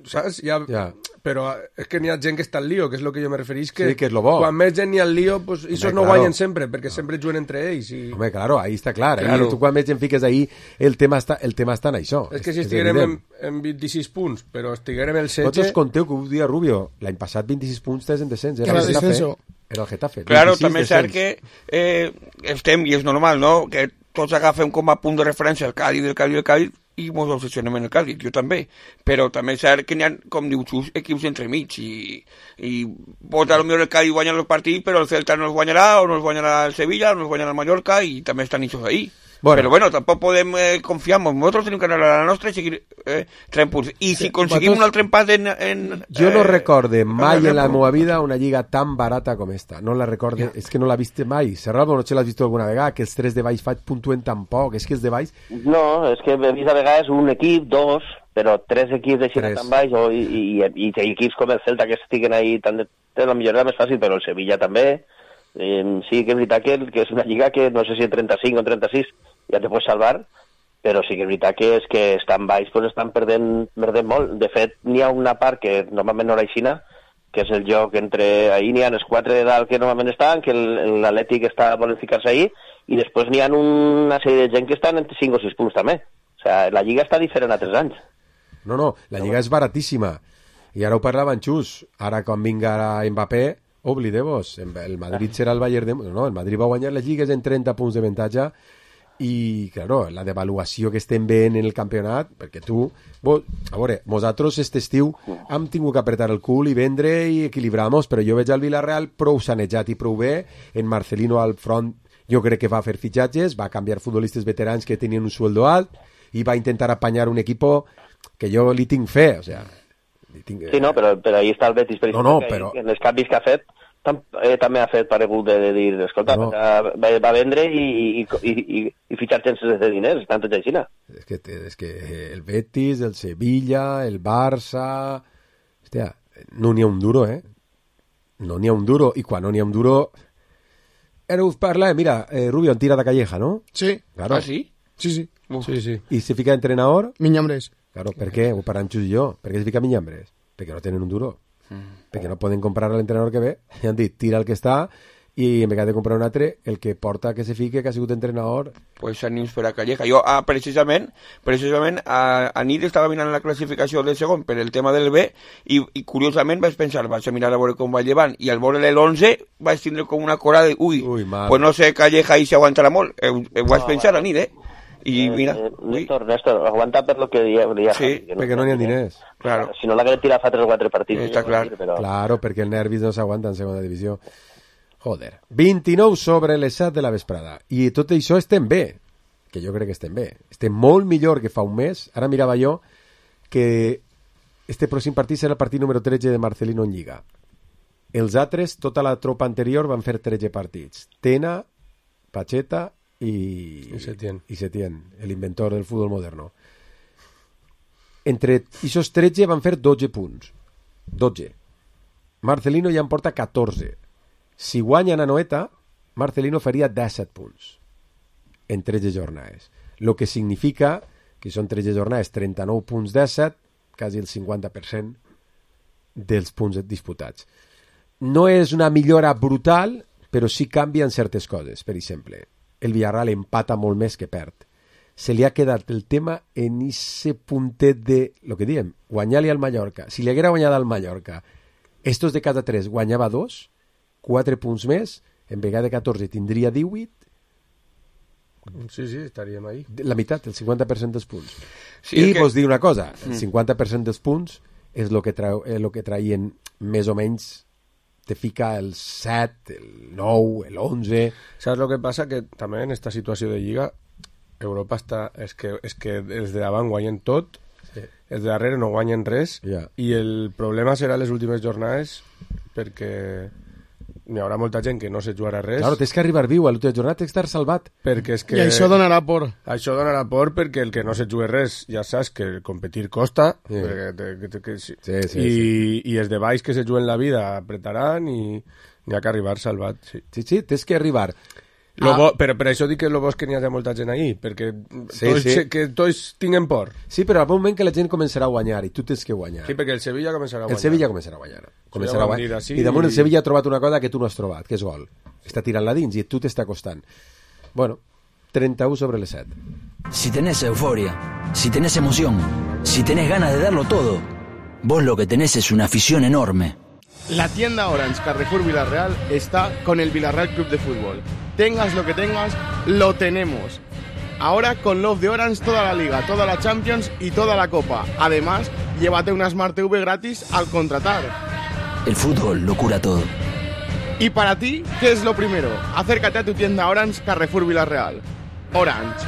saps? Ja, Ja. Però és que n'hi ha gent que està al lío, que és el que jo me referís, que, Sí, que és lo bo. quan més gent n'hi ha al lío, pues, ells no claro. guanyen sempre, perquè sempre juguen entre ells. I... Home, claro, ahí està clar. Claro. Ahí, tu quan més gent fiques ahí, el tema està, el tema està en això. És que si estiguérem evident. en, en vint-i-sis punts, però estiguérem el setze... Vosaltres conteu que ho dia Rubio, l'any passat vint-i-sis punts tens en descens. Era, Era el Getafe. descenso. Era el Getafe. Claro, vint-i-sis també és cert descens. que eh, estem, i és normal, no?, que tots agafem com a punt de referència el Cádiz, el Cádiz, el Cádiz, i ens obsessionem en el Cádiz, jo també. Però també és cert que n'hi ha, com dius tu, equips entremig, i, i pot a lo millor el Cádiz guanyar els partits, però el Celta no els guanyarà, o no els guanyarà el Sevilla, o no els guanyarà el Mallorca, i també estan ells ahí. Bueno. Però bueno, tampoc podem eh, confiar, nosaltres tenim que anar a la nostra i seguir eh, trent punts. I si aconseguim vosaltres- un altre empat en... en Jo no eh, recorde mai en la en meva vida una lliga tan barata com esta. No la recorde, és que no la viste mai. Serralbo, no te l'has vist alguna vegada, que els tres de baix fa- puntuen tan poc. És que els de baix... No, és que he vist a vegades un equip, dos, però tres equips de Xina Tres. tan baix, o, i, i, i, i equips com el Celta que estiguen ahí, tan de, de la millor era més fàcil, però el Sevilla també. Eh, sí que és veritat que, que és una lliga que no sé si en trenta-cinc o en trenta-sis ja te pots salvar, però sí que és veritat que és que estan baix, doncs estan perdent, perdent molt. De fet, n'hi ha una part que normalment no era aixina, que és el joc entre... Ahir n'hi ha els quatre de dalt que normalment estan, que el- l'Atlètic està volen ficar-se ahir, i després n'hi ha una sèrie de gent que estan entre cinc o sis punts també. O sigui, la lliga està diferent a tres anys. No, no, la lliga és baratíssima. I ara ho parlava en Xus. Ara, quan vinga Mbappé, oblideu-vos. El Madrid serà el Bayern de... No, el Madrid va guanyar les lligues en trenta punts de avantatge i, claro, la devaluació que estem veient en el campionat, perquè tu, vos, a veure, nosaltres este estiu hem tingut que apretar el cul i vendre i equilibrar-nos, però jo veig al Villarreal prou sanejat i prou bé, en Marcelino al front jo crec que va fer fitxatges, va canviar futbolistes veterans que tenien un sueldo alt i va intentar apanyar un equipo que jo li tinc fe, o sea, li tinc... Sí, no, però, però ahí està el Betis, per No, exemple, no, que però- en els canvis que ha fet tam, eh, també ha fet paregut de, de dir, escolta, No. va, va vendre i, i, i, i, i fitxar sense de diners, estan tots així. És que, és que el Betis, el Sevilla, el Barça... Hòstia, no n'hi ha un duro, eh? No n'hi ha un duro, i quan no n'hi ha un duro... Ara us parla, mira, eh, Rubio en tira de Calleja, ¿no? Sí, Claro. Ah, sí? sí, sí. Sí, sí. I se fica entrenador... Minyambres. Claro, per què? Ho paran Xus i jo. Per què se fica Minyambres? Perquè no tenen un duro. Perquè no poden comprar a l'entrenador que ve. I han dit, tira el que està i en vegada de comprar un altre, el que porta que se fique, que ha sigut entrenador... Pues ànims per a Calleja. Jo, ah, precisament, precisament a, a nit estava mirant la classificació del segon per el tema del B i, i curiosament vaig pensar, vaig a mirar a veure com va llevant i al veure l'onze vaig tindre com una cora de ui, Ui, mal. pues no sé Calleja ahí s'aguantarà molt. Eh, eh, ho vaig pensar a nit, eh? Y eh, mira... Eh, Néstor, Néstor, aguanta per lo que deia, deia Sí, Javi, que perquè no n'hi ha diners. Claro. Si no l'hagués tirat fa tres o quatre partits. Està clar. Dir, però... Claro, perquè el nervis no s'aguanta en segona divisió. Joder. vint-i-nou sobre les set de la vesprada. I tot això estem bé. Que jo crec que estem bé. Estem molt millor que fa un mes. Ara mirava jo que este pròxim partit serà el partit número tretze de Marcelino en Lliga. Els altres, tota la tropa anterior, van fer tretze partits. Tena, Pacheta i... I Setién. I Setién, l'inventor del futbol moderno. Entre aquests tretze van fer dotze punts. dotze. Marcelino ja en porta catorze. Si guanyen a Noeta, Marcelino faria disset punts en tretze jornades. Lo que significa que són tretze jornades, trenta-nou punts disset, quasi el cinquanta per cent dels punts disputats. No és una millora brutal, però sí canvien certes coses. Per exemple, el Villarreal empata molt més que perd. Se li ha quedat el tema en ese puntet de, lo que diem, guanyar-li al Mallorca. Si li haguera guanyat al Mallorca, estos de cada tres guanyava dos, quatre punts més, en vegada de catorze tindria divuit. Sí, sí, estaríem ahí. La meitat, el cinquanta per cent dels punts. Sí, I que... vos dir una cosa, el cinquanta per cent dels punts és el que, trau, eh, lo que traien més o menys, te fica el set, el nou, el onze... ¿Sabes lo que pasa? Que també en esta situació de Lliga Europa està... És que, és que els de davant guanyen tot, sí. Els de darrere no guanyen res, yeah. I el problema serà les últimes jornades perquè n'hi haurà molta gent que no se jugarà res. Claro, tens que arribar viu a l'última jornada, tens que estar salvat. Perquè és que... I això donarà por. Això donarà por perquè el que no se jugui res, ja saps que competir costa, sí. perquè te, que, que, sí. Sí, sí, I, sí. I els de baix que se juguen la vida apretaran i n'hi ha que arribar salvat. Sí, sí, sí tens que arribar... Lo ah. bo, però per això dic que lo bo és que n'hi ha molta gent ahí, perquè sí, tots, sí. que tots tinguen por. Sí, però al moment que la gent començarà a guanyar i tu tens que guanyar. Sí, perquè el Sevilla començarà a guanyar. El Sevilla començarà a guanyar. Començarà a guanyar. Així, I damunt i... el Sevilla ha trobat una cosa que tu no has trobat, que és gol. Està tirant-la dins i tu t'està costant. Bueno, trenta-u sobre les set. Si tenés euforia, si tenés emoción, si tenés ganas de darlo todo, vos lo que tenés es una afición enorme. La tienda Orange Carrefour Villarreal está con el Villarreal Club de Fútbol. Tengas lo que tengas, lo tenemos. Ahora con Love de Orange toda la Liga, toda la Champions y toda la Copa. Además, llévate una Smart T V gratis al contratar. El fútbol lo cura todo. Y para ti, ¿qué es lo primero? Acércate a tu tienda Orange Carrefour Villarreal. Orange.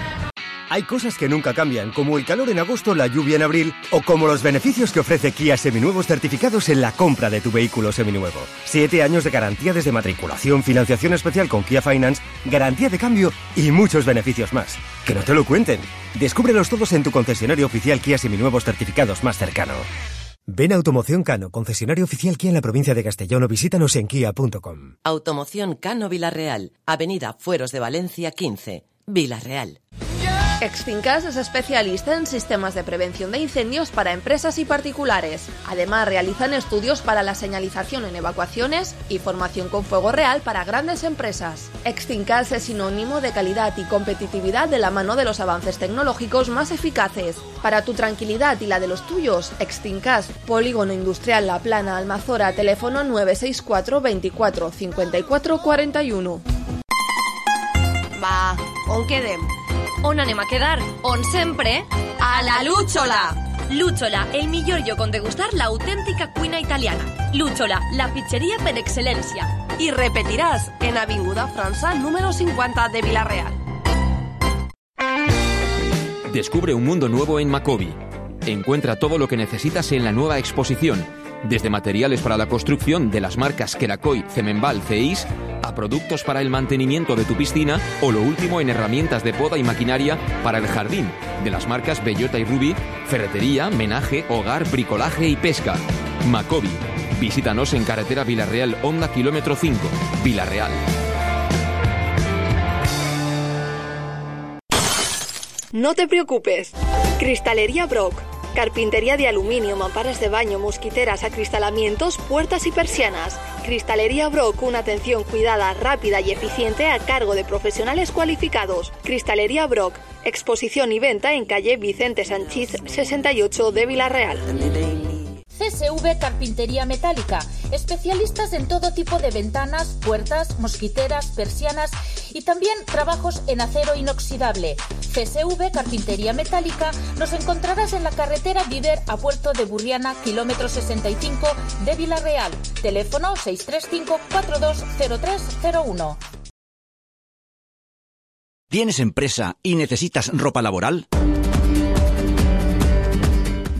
Hay cosas que nunca cambian, como el calor en agosto, la lluvia en abril, o como los beneficios que ofrece Kia Seminuevos certificados en la compra de tu vehículo seminuevo. Siete años de garantía desde matriculación, financiación especial con Kia Finance, garantía de cambio y muchos beneficios más. Que no te lo cuenten. Descúbrelos todos en tu concesionario oficial Kia Seminuevos certificados más cercano. Ven a Automoción Cano, concesionario oficial Kia en la provincia de Castellón, o visítanos en kia punto com. Automoción Cano Villarreal, Avenida Fueros de Valencia quince, Villarreal. Exfincas es especialista en sistemas de prevención de incendios para empresas y particulares. Además, realizan estudios para la señalización en evacuaciones y formación con fuego real para grandes empresas. Exfincas es sinónimo de calidad y competitividad de la mano de los avances tecnológicos más eficaces. Para tu tranquilidad y la de los tuyos, Exfincas, Polígono Industrial La Plana, Almazora, teléfono nueve seis cuatro veinticuatro cincuenta y cuatro cuarenta y uno. Va, on quedem? On anem a quedar? On sempre? A la Lúchola! Lúchola, el millor lloc on degustar l'autèntica cuina italiana. Lúchola, la pizzeria per excel·lència. Y repetirás en Avinguda França número cincuenta de Villarreal. Descubre un mundo nuevo en Macobi. Encuentra todo lo que necesitas en la nueva exposición, desde materiales para la construcción de las marcas Kerakoy, Cemenbal, Ceis, a productos para el mantenimiento de tu piscina o lo último en herramientas de poda y maquinaria para el jardín, de las marcas Bellota y Ruby, ferretería, menaje, hogar, bricolaje y pesca. Macobi. Visítanos en carretera Villarreal Honda kilómetro cinco, Villarreal. No te preocupes. Cristalería Brock. Carpintería de aluminio, mamparas de baño, mosquiteras, acristalamientos, puertas y persianas. Cristalería Brock, una atención cuidada, rápida y eficiente a cargo de profesionales cualificados. Cristalería Brock, exposición y venta en calle Vicente Sanchís sesenta y ocho de Villarreal. C C S V Carpintería Metálica, especialistas en todo tipo de ventanas, puertas, mosquiteras, persianas y también trabajos en acero inoxidable. C S V Carpintería Metálica nos encontrarás en la carretera Viver a Puerto de Burriana, kilómetro sesenta y cinco de Villarreal. Teléfono seis tres cinco cuatro dos cero tres cero uno. ¿Tienes empresa y necesitas ropa laboral?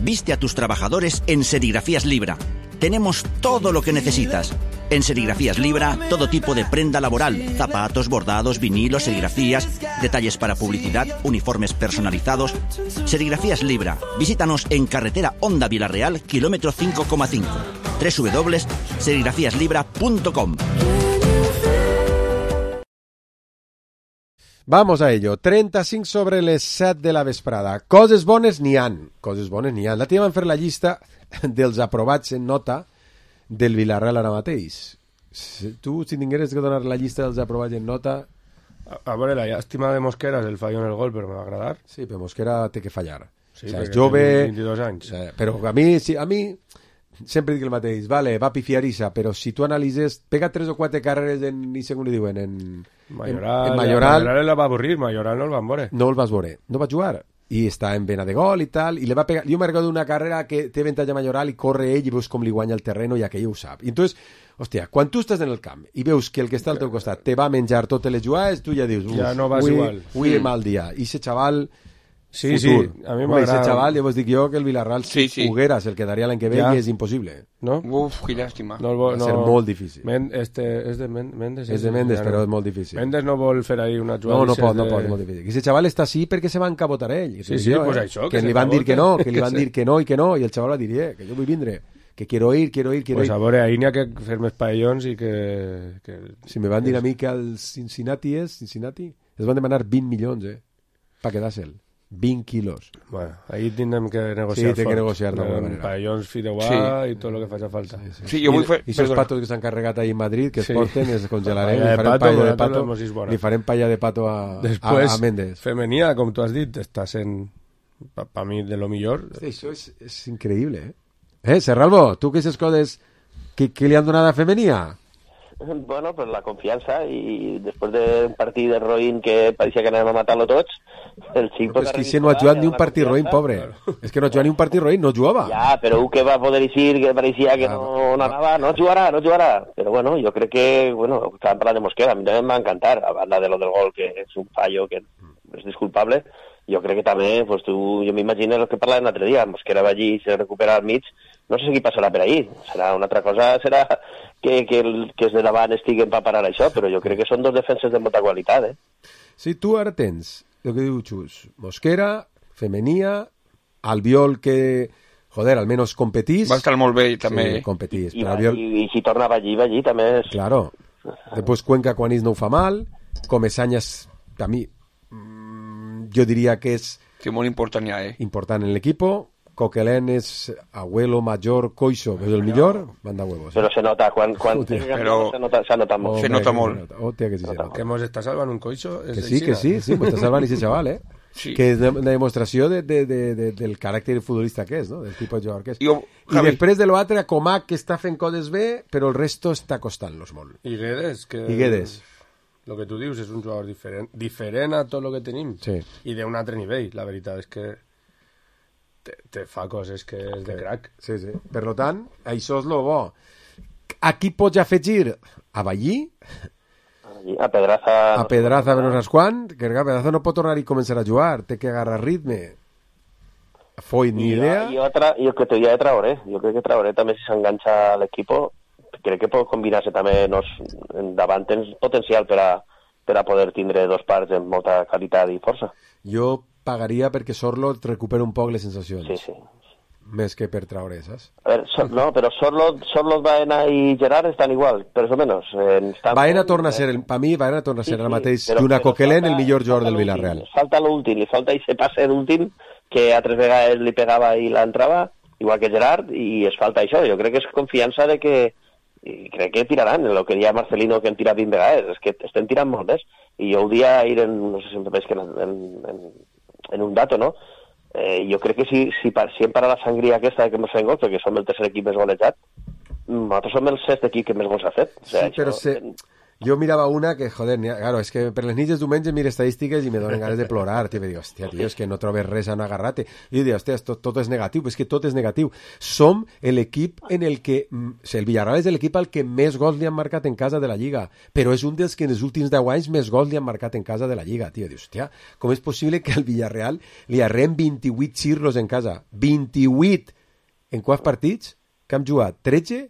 Viste a tus trabajadores en Serigrafías Libra. Tenemos todo lo que necesitas. En Serigrafías Libra, todo tipo de prenda laboral, zapatos, bordados, vinilos, serigrafías, detalles para publicidad, uniformes personalizados. Serigrafías Libra. Visítanos en carretera Honda Villarreal, kilómetro cinco coma cinco. doble u doble u doble u punto serigrafías libra punto com. Vamos a ello. trenta-cinc sobre les set de la vesprada. Coses bones n'hi han. Coses bones n'hi han. La tia van fer la llista dels aprovats en nota del Villarreal ara mateix. Si tu, si tingueres que donar la llista dels aprovats en nota... A, a veure, la llàstima de Mosquera és el fallo en el gol, però me va agradar. Sí, però Mosquera té que fallar. Sí, o sea, és perquè jove... té vint-i-dos anys. Eh, però a mi, sí, a mi sempre dic el mateix. Vale, va pifiarissa, però si tu analitzes... Pega tres o quatre carreres en... ni segon li diuen, en... Mayoral, en, en Mayoral, Mayoral la va avorrir, Mayoral no el van veure. No el vas veure, no va jugar. I està en vena de gol i tal, i le va pegar... Jo me'n recordo d'una carrera que té avantatge Mayoral i corre ell i veus com li guanya el terreno i aquell ho sap. I entonces, hòstia, quan tu estàs en el camp i veus que el que està al teu costat te va menjar totes les jugades, tu ja dius... Ja no vas ui, igual. Ui, sí. mal dia. I ese xaval... Sí, futur. sí, a mi m'agrada. Ese m'agrada. xaval, ja vos dic jo que el Villarreal sí, sí. Huguera se el quedaria l'any que ve Ja. i és impossible. No? Uf, qué lástima. No el vol, Va no. ser molt difícil. Men, este, és de Men, Mendes? És de Mendes, ja però no. és molt difícil. Mendes no vol fer ahí una jugada. No, no pot, de... no pot, és molt difícil. I ese xaval està així perquè se va encabotar ell. Sí, sí, jo, pues eh? això, que, que li se van dir que no, que li que van se- dir que no i que no, i el xaval va dir, eh, que jo vull vindre, que quiero ir, quiero ir, quiero Pues ir. a veure, ahí n'hi ha que fer més paellons i que... que... Si me van dir a mi que el Cincinnati és, Cincinnati, es van demanar vint milions, eh, pa quedar-se'l. vint quilos. Bueno, ahí tindrem que negociar Sí, té que fort. negociar d'alguna manera. Paellons, fideuà Sí. i tot el que faci falta. Sí, sí. Sí, jo vull fer... I aquests patos que s'han carregat ahí en Madrid, que es Sí. porten, es congelarem, Paella li de farem pato, paella de nosaltres pato, l'hemos vist bona. li farem paella de pato a, Després, a, a Mendes. femenia, com tu has dit, està sent, per pa mi, de lo millor. Sí, això és, és increïble, eh? Eh, Serralvo, tu que aquestes coses que, que li han donat a femenia? Bueno, pues la confiança i després d'un partit de roïn que pareixia que anàvem a matar-lo tots, el xic... Però és que si no ha jugat ni un partit roïn, pobre. És que no ha jugat ni un partit roïn, no jugava. Ja, però un que va poder dir que pareixia que no, no anava, no jugarà, no jugarà. Però bueno, jo crec que, bueno, estàvem parlant de Mosquera, a mi també em va encantar, a banda de lo del gol, que és un fallo que és disculpable, jo crec que també, pues tu, jo m'imagino el que parlàvem l'altre dia, Mosquera va allí i se recupera al mig, no sé qui passarà per ahí, serà una altra cosa, serà que, que, el, que els de davant estiguen per parar això, però jo crec que són dos defenses de molta qualitat, eh? Si tu ara tens, el que diu Xus, Mosquera, Femenia, Albiol que, joder, almenys competís... Va estar molt bé també. Sí, competís. I, però va, Albiol... i, i si tornava allí, va allí també és... Claro. Després Cuenca quan és no ho fa mal, Comesañas, a mi, mm, jo diria que és... Que molt important ja, eh? Important en l'equipo, Coquelin és abuelo, major, coixo, és el millor, manda huevos. Però se nota, quan, quan Hòstia. però... se nota, se nota molt. Hombre, se nota que molt. se nota. Hòstia, que sí se nota. Que mos està salvant un coixo. Que sí, que sí, sí, m'està salvant ese xaval, eh? Sí. Que és de- una demostració de, de, de, de, del caràcter futbolista que és, no? Del tipus de jugador que és. Jo, I Javi. després de l'altre, Comac, que està fent coses bé, però el resto està costant-los molt. I Guedes, que... I Guedes. Lo que tu dius és un jugador diferent, diferent a tot el que tenim. Sí. I d'un altre nivell, la veritat és que te, te fa coses que és de crack. Sí, sí. Per lo tant, això és lo bo. Aquí pots afegir a Ballí, A Pedraza... a Pedraza, no saps quan, que clar, Pedraza no pot tornar i començar a jugar, té que agarrar ritme. Foy, ni I, idea. I otra, i el que te diria de Traoré, jo crec que Traoré també si s'enganxa a l'equip, crec que pot combinar-se també, no, davant tens potencial per a, per a poder tindre dos parts amb molta qualitat i força. Jo pagaria perquè Sorlo recupera un poc les sensacions. Sí, sí. Més que per Traoré, saps? A ver, so, no, però Sorlot, Sorlot, Baena i Gerard estan igual, per o menos. Eh, estan Baena torna a ser, el, per mi, Baena torna a ser Sí, ara sí, mateix, però- d'una però Coquelin, falta- el millor jugador del falta Villarreal. l'últim, Falta l'últim, li falta ese passe d'últim que altres vegades li pegava i l'entrava, igual que Gerard, i es falta això. Jo crec que és confiança de que i crec que tiraran, el que deia Marcelino que han tirat vint vegades, és que estem tirant molt més. I jo ho dia ahir en, no sé si em veig que en, en, en un dato, no? eh, jo crec que si, si, si hem parat la sangria aquesta que ens fem gols, perquè som el tercer equip més golejat, nosaltres som el sexte equip que més gols ha fet. O sigui, sí, això... però se... jo mirava una que, joder, claro, és que per les nits dels diumenges miro estadístiques i me donen ganes de plorar, tio, i dic, hòstia, tio, és que no trobes res a agarrar-te. I jo dic, hòstia, tot, tot és negatiu, és que tot és negatiu. Som l'equip en el que, o sigui, el Villarreal és l'equip al que més gols li han marcat en casa de la Lliga, però és un dels que en els últims deu anys més gols li han marcat en casa de la Lliga, tio, dius, hòstia, com és possible que al Villarreal li arrem vint-i-vuit xirlos en casa? vint-i-vuit! En quants partits? Que hem jugat? tretze?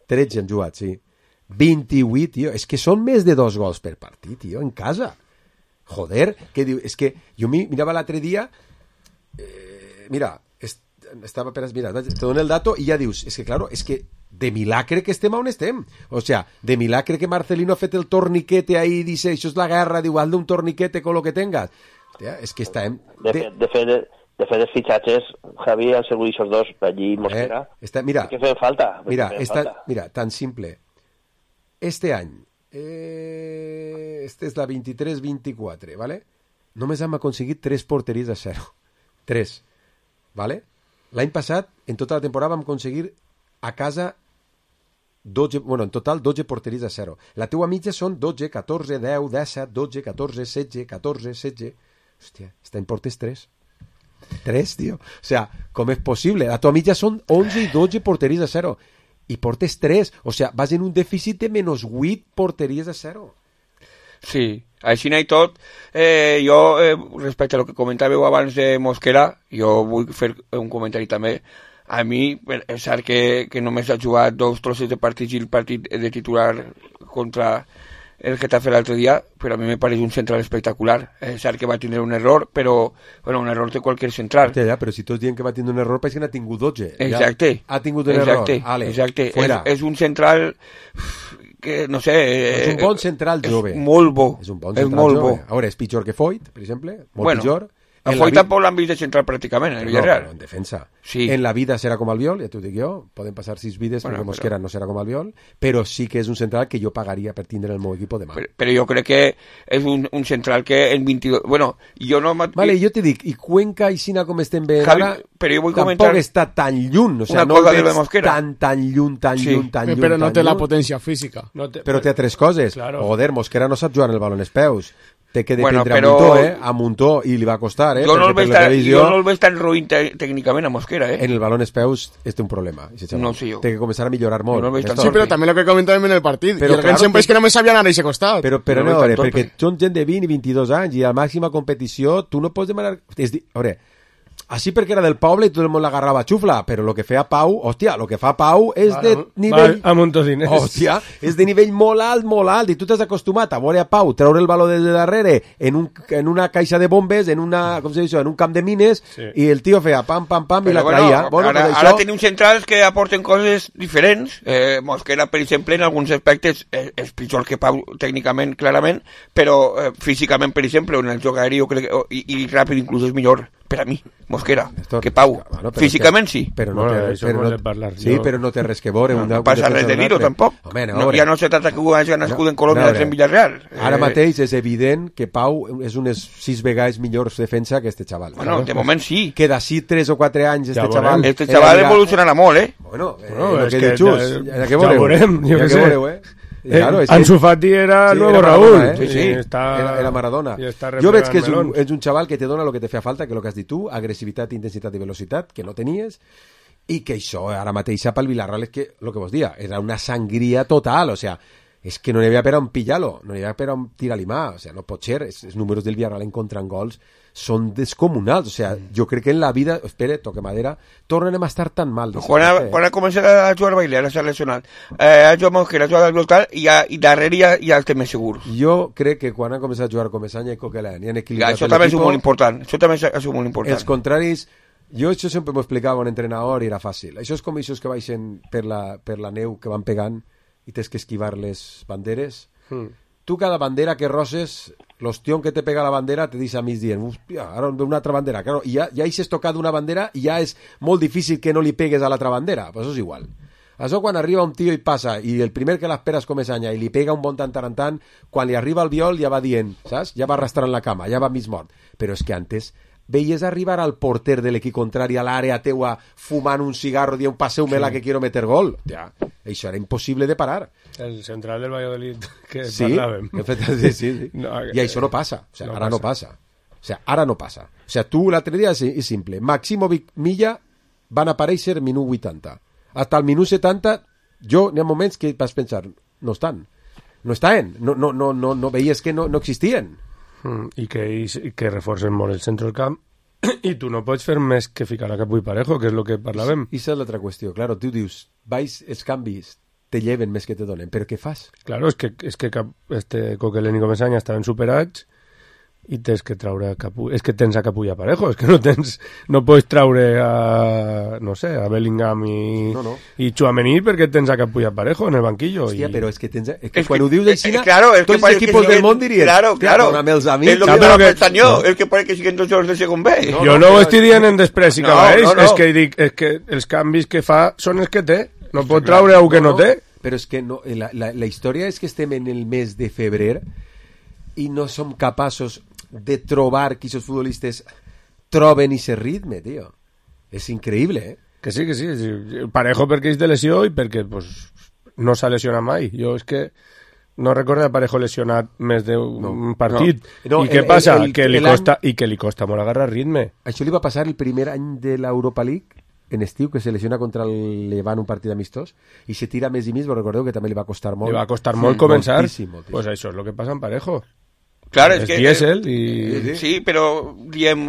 tretze hem jugat, sí. vint-i-vuit, tio. És que són més de dos gols per partit, tio, en casa. Joder, que diu... És que jo mi, mirava l'altre dia... Eh, mira, est, estava per... Mira, te dono el dato i ja dius... És que, claro, és que de milagre que estem on estem. O sea, de milagre que Marcelino ha fet el torniquete ahí i dice, això és la guerra, diu, hazle un torniquete con lo que tengas. Hòstia, és que estem... De, de... de fet... De... De fet, els fitxatges, Javi, han sigut aquests dos, allí Mosquera, eh, està, mira, que feien falta. Mira, feien esta, falta. Mira, tan simple. Este any, eh, este és la vint-i-tres vint-i-quatre, ¿vale? Només hem aconseguit tres porteries a zero. Tres, ¿vale? L'any passat, en tota la temporada, vam aconseguir a casa dotze, bueno, en total dotze porteries a zero. La teua mitja són dotze, catorze, deu, disset, dotze, catorze, setze, catorze, setze... Hòstia, està en portes tres. Tres, tío. O sea, ¿cómo es posible? La tua mitja són onze i dotze porteries a zero. I portes tres. O sea, vas en un dèficit de menys vuit porteries a zero. Sí, així i tot, eh, jo, eh, respecte a lo que comentàveu abans de Mosquera, jo vull fer un comentari també. A mi, és cert que, que només ha jugat dos trossos de partits i el partit de titular contra el Getafe l'altre dia, però a mi me pareix un central espectacular. És cert que va tindre un error, però bueno, un error de qualsevol central. Ja, ja, però si tots diuen que va tindre un error, pareix que n'ha tingut dotze. Exacte. Ja ha tingut un exacte, error. Ale, exacte. Fuera. És, és un central que, no sé... És un bon central jove. És molt bo. És un bon central és molt jove. bo. A veure, és pitjor que Foyt, per exemple. Molt bueno, pitjor. A Foyt tampoc l'han vist de central pràcticament, en el Villarreal. No, en defensa. Sí. En la vida serà com Albiol, ja t'ho dic jo, poden passar sis vides bueno, perquè Mosquera però... no serà com Albiol, però sí que és un central que jo pagaria per tindre el meu equip demà. Però, però jo crec que és un, un central que en vint-i-dos... Bueno, jo no... Vale, jo te dic, i Cuenca i Sina com estem bé Javi, ara, però jo vull tampoc comentar... està tan lluny, o sigui, no el veig tan, tan lluny, tan sí. lluny, tan lluny, però no tan té lluny. La potència física. No té, però té altres coses. Claro. Joder, Mosquera no sap jugar en el baló en els peus. Té que dependre bueno, però... a Muntó, eh? A Muntó, i li va costar, eh? Jo no el veig tan, televisió... jo no el veig tan ruïn tècnicament a Mosquera, eh? En el baló en els peus és un problema. No sé jo. Té que començar a millorar molt. No sí, però també el que comentàvem en el partit. Però, I el claro sempre que... és que només sabia anar a aquest costat. Però, però no, no veure, perquè són gent de vint i vint-i-dos anys i a màxima competició tu no pots demanar... És dir, a veure, així perquè era del poble i tot el món l'agarrava xufla, però el que feia Pau, hòstia, el que fa Pau és va, de nivell... Va, amb un tocinès. Hòstia, és de nivell molt alt, molt alt, i tu t'has acostumat a veure a Pau treure el baló des de darrere en, un, en una caixa de bombes, en una, com se diu, en un camp de mines, sí. I el tio feia pam, pam, pam, però i la bueno, traia. Bueno, ara, això... ara tenim centrals que aporten coses diferents. Eh, Mosquera, per exemple, en alguns aspectes és, és pitjor que Pau, tècnicament, clarament, però eh, físicament, per exemple, en el joc aeri, jo crec, i, i ràpid inclús és millor per a mi, Mosquera, Esto, que Pau. Bueno, físicament sí. Però no, té, però no, parlar, sí, però no té res que veure. No, una, no passa res de dir-ho, tampoc. Home, no, no, ja no se tracta que ho hagi nascut no, en Colòmbia no, en Villarreal. Ara eh... mateix és evident que Pau és unes sis vegades millor defensa que este xaval. Bueno, de moment sí. Que d'ací tres o quatre anys este ja xaval... Este xaval evolucionarà molt, eh? Bueno, eh, no, el que, que dius, ja, ja ja veurem, jo què sé. Veureu, eh? Eh, claro, es Ansu Fati era sí, nuevo era Raúl. Maradona, eh? Sí, sí. Está, era, era Maradona. Jo veig que és un, és un xaval que te dona el que te feia falta, que el que has dit tu, agressivitat, intensitat i velocitat, que no tenies, i que això ara mateix pel Villarreal és que, el que vos dia, era una sangria total, o sea, és que no n'hi havia per on pillar-lo, no n'hi havia per on tirar-li mà, o sea, no pot ser, els números del Villarreal en contra en gols són descomunals, o sea, jo crec que en la vida, espera, toque madera, tornem a estar tan mal. Quan ha, quan ha començat a jugar Bailey, ara s'ha lesionat, eh, ha jugat Mosquera, ha jugat al Voltal, i, ha, i darrere ja, ja el té més segur. Jo crec que quan ha començat a jugar Comesaña i Coquelin, i han equilibrat ja, això també és molt important, això també és molt important. Els contraris, jo això sempre m'ho explicava un entrenador i era fàcil. Això és com això que baixen per la, per la neu que van pegant i tens que esquivar les banderes. Hmm. Tu cada bandera que roses, l'ostión que te pega la bandera te dice a mis dient, hòstia, ara ve una altra bandera. Claro, i ja, ja has tocat una bandera i ja és molt difícil que no li pegues a l'altra bandera. Pues això és igual. Això quan arriba un tio i passa, i el primer que l'espera és Comesaña, i li pega un bon tant tant tant, quan li arriba el viol ja va dient, saps? Ja va arrastrant la cama, ja va mig mort. Però és que antes veies arribar al porter de l'equip contrari a l'àrea teua fumant un cigarro dient passeu-me-la sí. que quiero meter gol. Ja, això era impossible de parar. El central del Valladolid que sí, parlàvem. Sí, sí, sí. No, I això no passa. O sea, no ara passa. no passa. O sea, ara no passa. O sea, tu l'altre dia és, és simple. Maximovic, Milla van aparèixer al minut vuitanta. Hasta el minut setanta, jo n'hi ha moments que vas pensar, no estan. No estan. No, no, no, no, no veies que no, no existien. Mm, i que, i que reforcen molt el centre del camp i tu no pots fer més que ficar a Capu i Parejo, que és el que parlàvem. I això és l'altra qüestió, claro, tu dius vais, els canvis te lleven més que te donen, però què fas? Claro, és que, és que cap, este Coquelin i Comesaña estaven superats i tens que traure a Capu, és que tens a Capu i a Parejo, és que no tens, no pots traure a, no sé, a Bellingham i, no, no. i Tchouaméni perquè tens a Capu i a Parejo en el banquillo. Hòstia, i... però és que tens, és que es quan que, ho dius així, eh, claro, es tots els equipos del món dirien, claro, claro, dóname els amics. Es lo que no, estaba que, pensando yo, no. el que pone que siguen dos horas de segon B. No, jo no, no ho estic dient en despreci, no, que no, no. és que dic, és que els canvis que fa són els que té, no pot traure algú que no, no té. Però és que no, la, la, la història és que estem en el mes de febrer i no som capaços de trobar que aquests futbolistes troben aquest ritme, tio. És increïble, eh? Que sí, que sí. Parejo perquè és de lesió i perquè pues, no s'ha lesionat mai. Jo és que no recordo Parejo lesionat més d'un no, partit. No. No, I què el, passa? El, el, que li costa, any... I que li costa molt agarrar ritme. Això li va passar el primer any de l'Europa League en estiu, que se lesiona contra el Levant un partit amistós i se tira més i més, però recordeu que també li va costar molt. Li va costar molt sí, començar. Moltíssim, moltíssim. Pues això és el que passa amb Parejo. Claro, es, es que... Diésel y... Sí, pero, diem,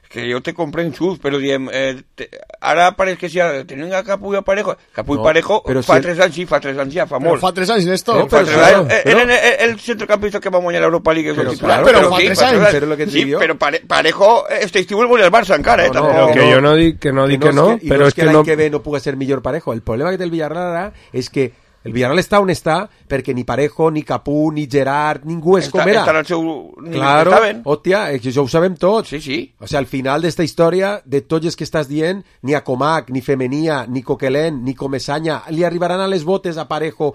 que yo te compré en sus, pero diem, eh, te, ara pareix que si ara tenen a Capu i a Parejo, Capu i no, Parejo fa si... tres anys, sí, fa tres anys ja, fa molt. Però fa tres anys, Néstor. No, però, però, eh, però... Eren el, el centrocampista que va guanyar l'Europa League. Però, titular, claro, però, però fa sí, tres anys, però lo que sí, diu. Però pare, Parejo, este estiu el volia el Barça encara, eh, no, no, tampoc. Que jo no dic que no, dic que no, que, però és que, que no... l'any que ve no puga ser millor Parejo. El problema que té el Villarreal ara és que el Villarreal està on està perquè ni Parejo, ni Capú, ni Gerard, ningú és Està, com era. Estan al seu... Claro, hòstia, això ho sabem tots. Sí, sí. O sea, al final d'esta història, de tots els que estàs dient, ni a Comac, ni Femenia, ni Coquelin, ni Comesaña, li arribaran a les botes a Parejo,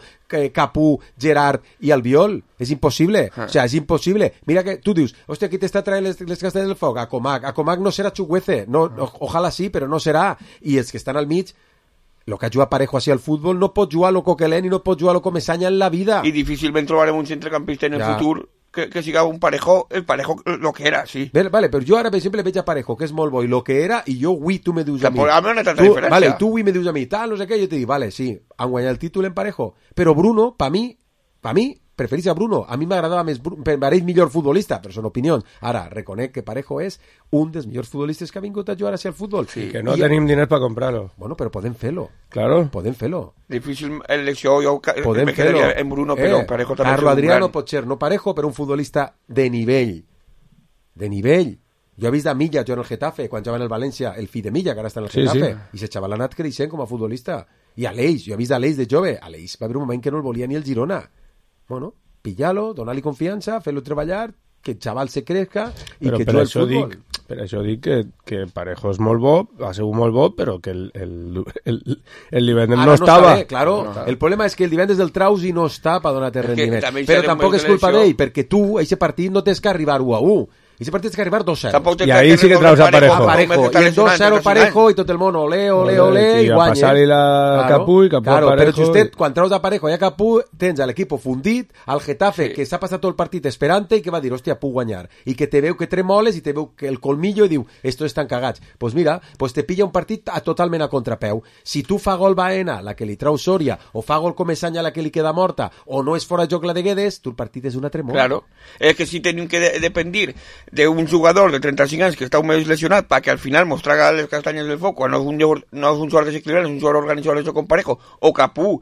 Capú, Gerard i Albiol. És impossible. Ah. O sea, és impossible. Mira que tu dius, hòstia, qui t'està traient les, les castelles del foc? A Comac. A Comac no serà Chukwueze. No, o, ojalà sí, però no serà. I els que estan al mig, lo que ha jugat Parejo així al futbol no pot jugar lo Coquelin i no pot jugar lo Comesaña en la vida. I difícilment trobarem un centrecampista en el ja. futur que, que siga un Parejo, el Parejo lo que era, sí. Vale, vale, però jo ara, per exemple, veig a Parejo, que és molt bo, i lo que era, i jo avui tu me dius a mi. A mi no tanta tu, diferència. Vale, tu avui me dius a mi, tal, no sé què, jo te dic, vale, sí, han guanyat el títol en Parejo, però Bruno, pa mi, pa mi, preferís a Bruno. A mi m'agradava més Bruno, m'agreix millor futbolista, però són opinions. Ara, reconec que Parejo és un dels millors futbolistes que ha vingut a jugar hacia el futbol. Sí, que no I tenim diners per comprar-lo. Bueno, però podem fer-lo. Claro. Podem fer-lo. Difícil elecció, jo podem me quedaria en Bruno, però eh, Parejo també Carlo Adriano gran... pot ser, no Parejo, però un futbolista de nivell. De nivell. Jo he vist a Milla jugar en el Getafe, quan jugava en el València, el fill de Milla, que ara està en el sí, Getafe, sí. i se xaval ha anat creixent com a futbolista. I Aleix, jo he vist a Aleix de jove. Aleix va haver un moment que no el volia ni el Girona. Bueno, pillalo, donar-li confiança, fer-lo treballar, que el xaval se crezca i però que per jugui al això futbol. Dic, per això dic que, que Parejo és molt bo, ha sigut molt bo, però que el, el, el, el divendres no, no estava. Bé, claro. No. El problema és que el divendres del Trausi no està per donar-te rendiment. Però tampoc és culpa d'ell, perquè tu, a aquest partit, no tens que arribar u a u. I ese partit és que arribar dos cero. I ahí sí que traus a Parejo. A Parejo. I el dos cero Parejo i tot el món ole, ole, ole, i guanya. I a passar-li la claro, Capú i Capú claro, a Parejo. Però justet, quan traus a Parejo i a Capú, tens a l'equip fundit, al Getafe, sí. que s'ha passat tot el partit esperant-te i que va dir, hòstia, puc guanyar. I que te veu que tremoles i te veu que el colmillo i diu, estos estan cagats. Pues mira, pues te pilla un partit a, totalment a contrapeu. Si tu fa gol Baena, la que li trau Soria, o fa gol Comesaña, la que li queda morta, o no és fora joc la de Guedes, tu el partit és una tremor. Claro. És que si tenim que de dependir d'un jugador de trenta-cinc anys que està un mes lesionat perquè al final mos traga les castanyes del foc quan no és un jugador, no és un jugador desequilibrant, és un jugador organitzador de com Parejo, o Capú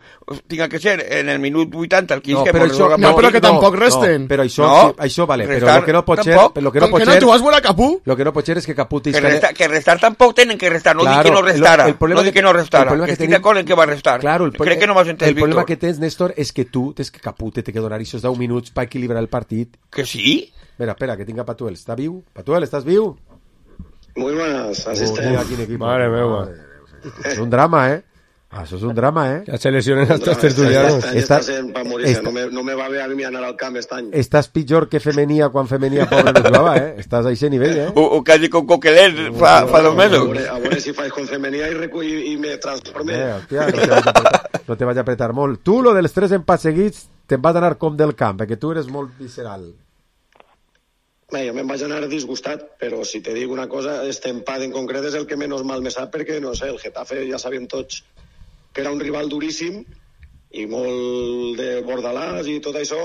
tinga que ser en el minut vuitanta el quinze, no, però, això, no, però que tampoc resten no, però això, no, sí, això vale, però lo que no pot ser lo que no pot ser, no, tu vas veure Capú? Lo que no pot ser és que Capú que, resta, que restar tampoc tenen que restar, no claro, dic que no restara, el, el no dic que no restara, que, que estic d'acord en que va restar, claro, crec que no m'has entès, el problema que tens, Néstor, és que tu tens que Capú te té que donar aquests deu minuts per equilibrar el partit. Que sí? Espera, espera, que tinga Patuel, està viu? Patuel, estàs viu? Muy buenas, así está. Oh, Madre meva. És un drama, eh? Ah, això és un drama, eh? Que se lesionen els tres tertulianos. Està sent per morir-se. No, me, no me va bé a mi anar al camp aquest any. Estàs pitjor que Femenia quan Femenia pobre no jugava, eh? Estàs a aquest nivell, eh? O, o quasi con Coquelin fa, fa dos mesos. A veure, a veure si faig con Femenia i, recull, i me transforme. Eh, hòstia, no te vaig apretar, no te vaig apretar molt. Tu, lo dels tres empats seguits, te'n vas anar com del camp, perquè tu eres molt visceral. Bé, jo me'n vaig anar disgustat, però si te dic una cosa, este empat en concret és el que menys mal me sap, perquè, no sé, el Getafe ja sabíem tots que era un rival duríssim i molt de bordalàs i tot això.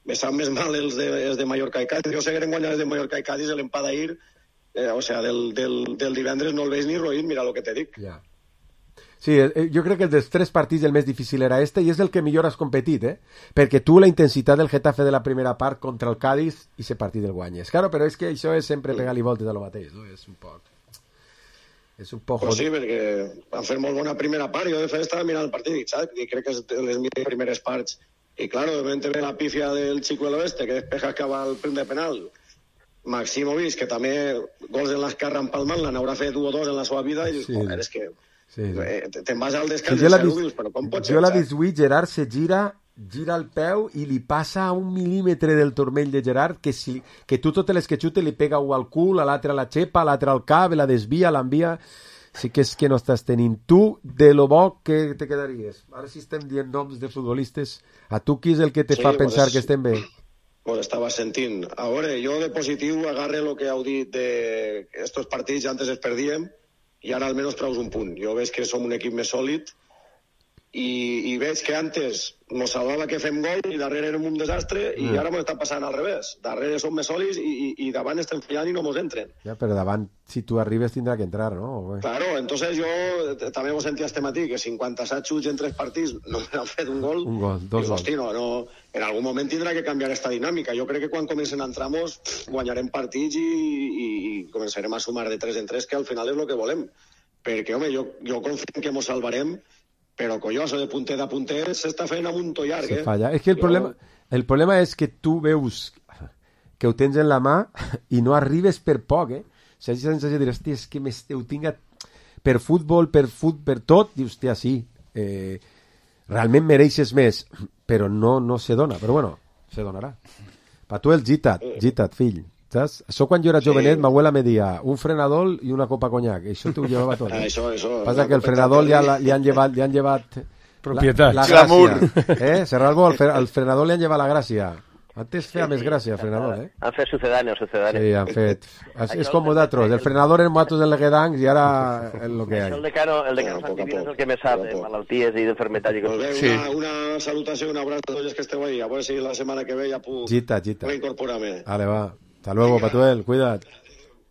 Me sap més mal els de, els de Mallorca i Cádiz. Jo seguirem guanyant els de Mallorca i Cádiz, l'empat d'ahir, eh, o sea, del, del, del divendres no el veig ni roïn, mira el que te dic. Ja. Sí, jo crec que el dels tres partits el més difícil era este i és el que millor has competit, eh? Perquè tu la intensitat del Getafe de la primera part contra el Cádiz i ese partit el guanyes. Claro, però és que això és sempre pegar-li voltes a lo mateix, no? És un poc... És un poc... Pues sí, perquè van fer molt bona primera part. Jo de fet estava mirant el partit, saps? I crec que és de les meves primeres parts. I claro, de repente ve la pifia del Chico del Oeste, que despeja que va al prim de penal. Maximovic, que també gols en l'esquerra empalmant, l'han haurà fet un o dos en la seva vida, i dius, sí. Joder, és que... Sí, sí. Eh, te'n vas al descans sí, i dius, però com pot ser? Jo l'he vist avui, Gerard se gira, gira el peu i li passa a un mil·límetre del turmell de Gerard que, si, que tu totes les que xute li pega un al cul, a l'altre a la xepa, a l'altre al cap, la desvia, l'envia... Sí que és que no estàs tenint. Tu, de lo bo, que te quedaries? Ara si estem dient noms de futbolistes, a tu qui és el que te sí, fa pensar pues, que estem bé? Pues estava sentint. A veure, jo de positiu agarre el que heu dit de estos partits antes es perdíem i ara almenys treus un punt. Jo veig que som un equip més sòlid i, i veig que antes nos salvava que fem gol i darrere érem un desastre i mm. ara m'ho està passant al revés. Darrere som més sòlids i, i, i davant estem fallant i no mos entren. Ja, però davant, si tu arribes, tindrà que entrar, ¿no? Claro, entonces jo també ho sentia este matí, que cinquanta-set xuts en tres partits no m'han fet un gol. Un gol, dos gols. Hosti, no, no, en algun moment tindrà que canviar esta dinàmica. Jo crec que quan comencen a entrar-nos guanyarem partits i, i, i començarem a sumar de tres en tres, que al final és el que volem. Perquè, home, jo, jo confio que mos salvarem, però colloso de punter a punter s'està fent amb un to llarg, eh? Se falla. És que el, jo... problema, el problema és que tu veus que ho tens en la mà i no arribes per poc, eh? O sigui, la sensació de dir, hòstia, és que ho tinc per futbol, per fut, per tot, i hòstia, sí, eh, realment mereixes més, però no, no se dona, però bueno, se donarà. Pa tu el Gitat, Gitat, fill. ¿Sabes? Això quan jo era jovenet, sí. Ma abuela me dia un frenador i una copa conyac. Això t'ho llevava tot. Ah, això, això. Passa que el frenador li, ha, li han llevat, li han llevat propietat. La, la gràcia. Eh? Serralbo, al, al frenador li han llevat la gràcia. Antes feia més gràcia, el frenador, eh? Han fet sucedáneo, sucedáneo. Sí, han fet... És, és com vosaltres, el frenador en matos del Leguedancs i ara és el que hi ha. El decano, el decano bueno, Santivino és el que més sap de malalties i d'enfermetats. Pues bé, una, una salutació, un abraç a tots que esteu ahí. A veure si la setmana que ve ja puc Gita, Gita. reincorporar-me. Vale, va. Hasta luego, Venga. Patuel, cuidad.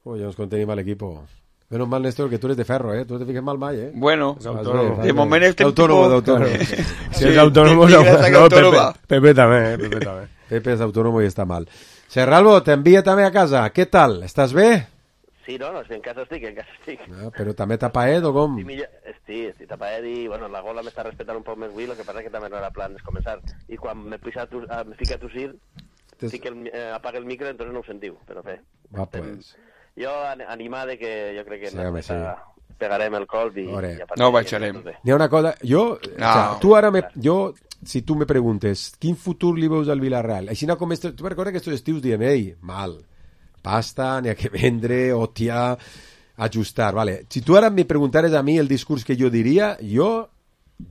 Uy, ya nos contenimos al equipo. Menos mal, Néstor, que tú eres de ferro, ¿eh? Tú te fijes mal, mal, ¿eh? Bueno, autónomo. De momento este autónomo, tipo... de autónomo. Si es autónomo, no, no Pepe, Pepe también, Pepe también. Pepe es autónomo y está mal. Serralbo, te envía también a casa. ¿Qué tal? ¿Estás bé? Sí, no, no, en casa estic, en casa estic. Ah, però també tapaet o com? Sí, millor, sí, estic tapaet i, bueno, la gola m'està respetant un poc més avui, el que passa que també no era plan de començar. I quan me, puja a, a, me fica a tossir, sí que el, eh, apaga el micro, entonces no ho sentiu, però bé. Va, pues. Jo animar de que jo crec que sí, home, sí. pegarem el colp i... i no ho baixarem. N'hi ha una cosa, jo, no. O sea, tu ara, me, jo, si tu me preguntes, quin futur li veus al Villarreal? Així no com esto, tu recordes que estos estius diem, ei, mal, pasta, n'hi ha que vendre, hòstia, ajustar, vale. Si tu ara me preguntares a mi el discurs que jo diria, jo...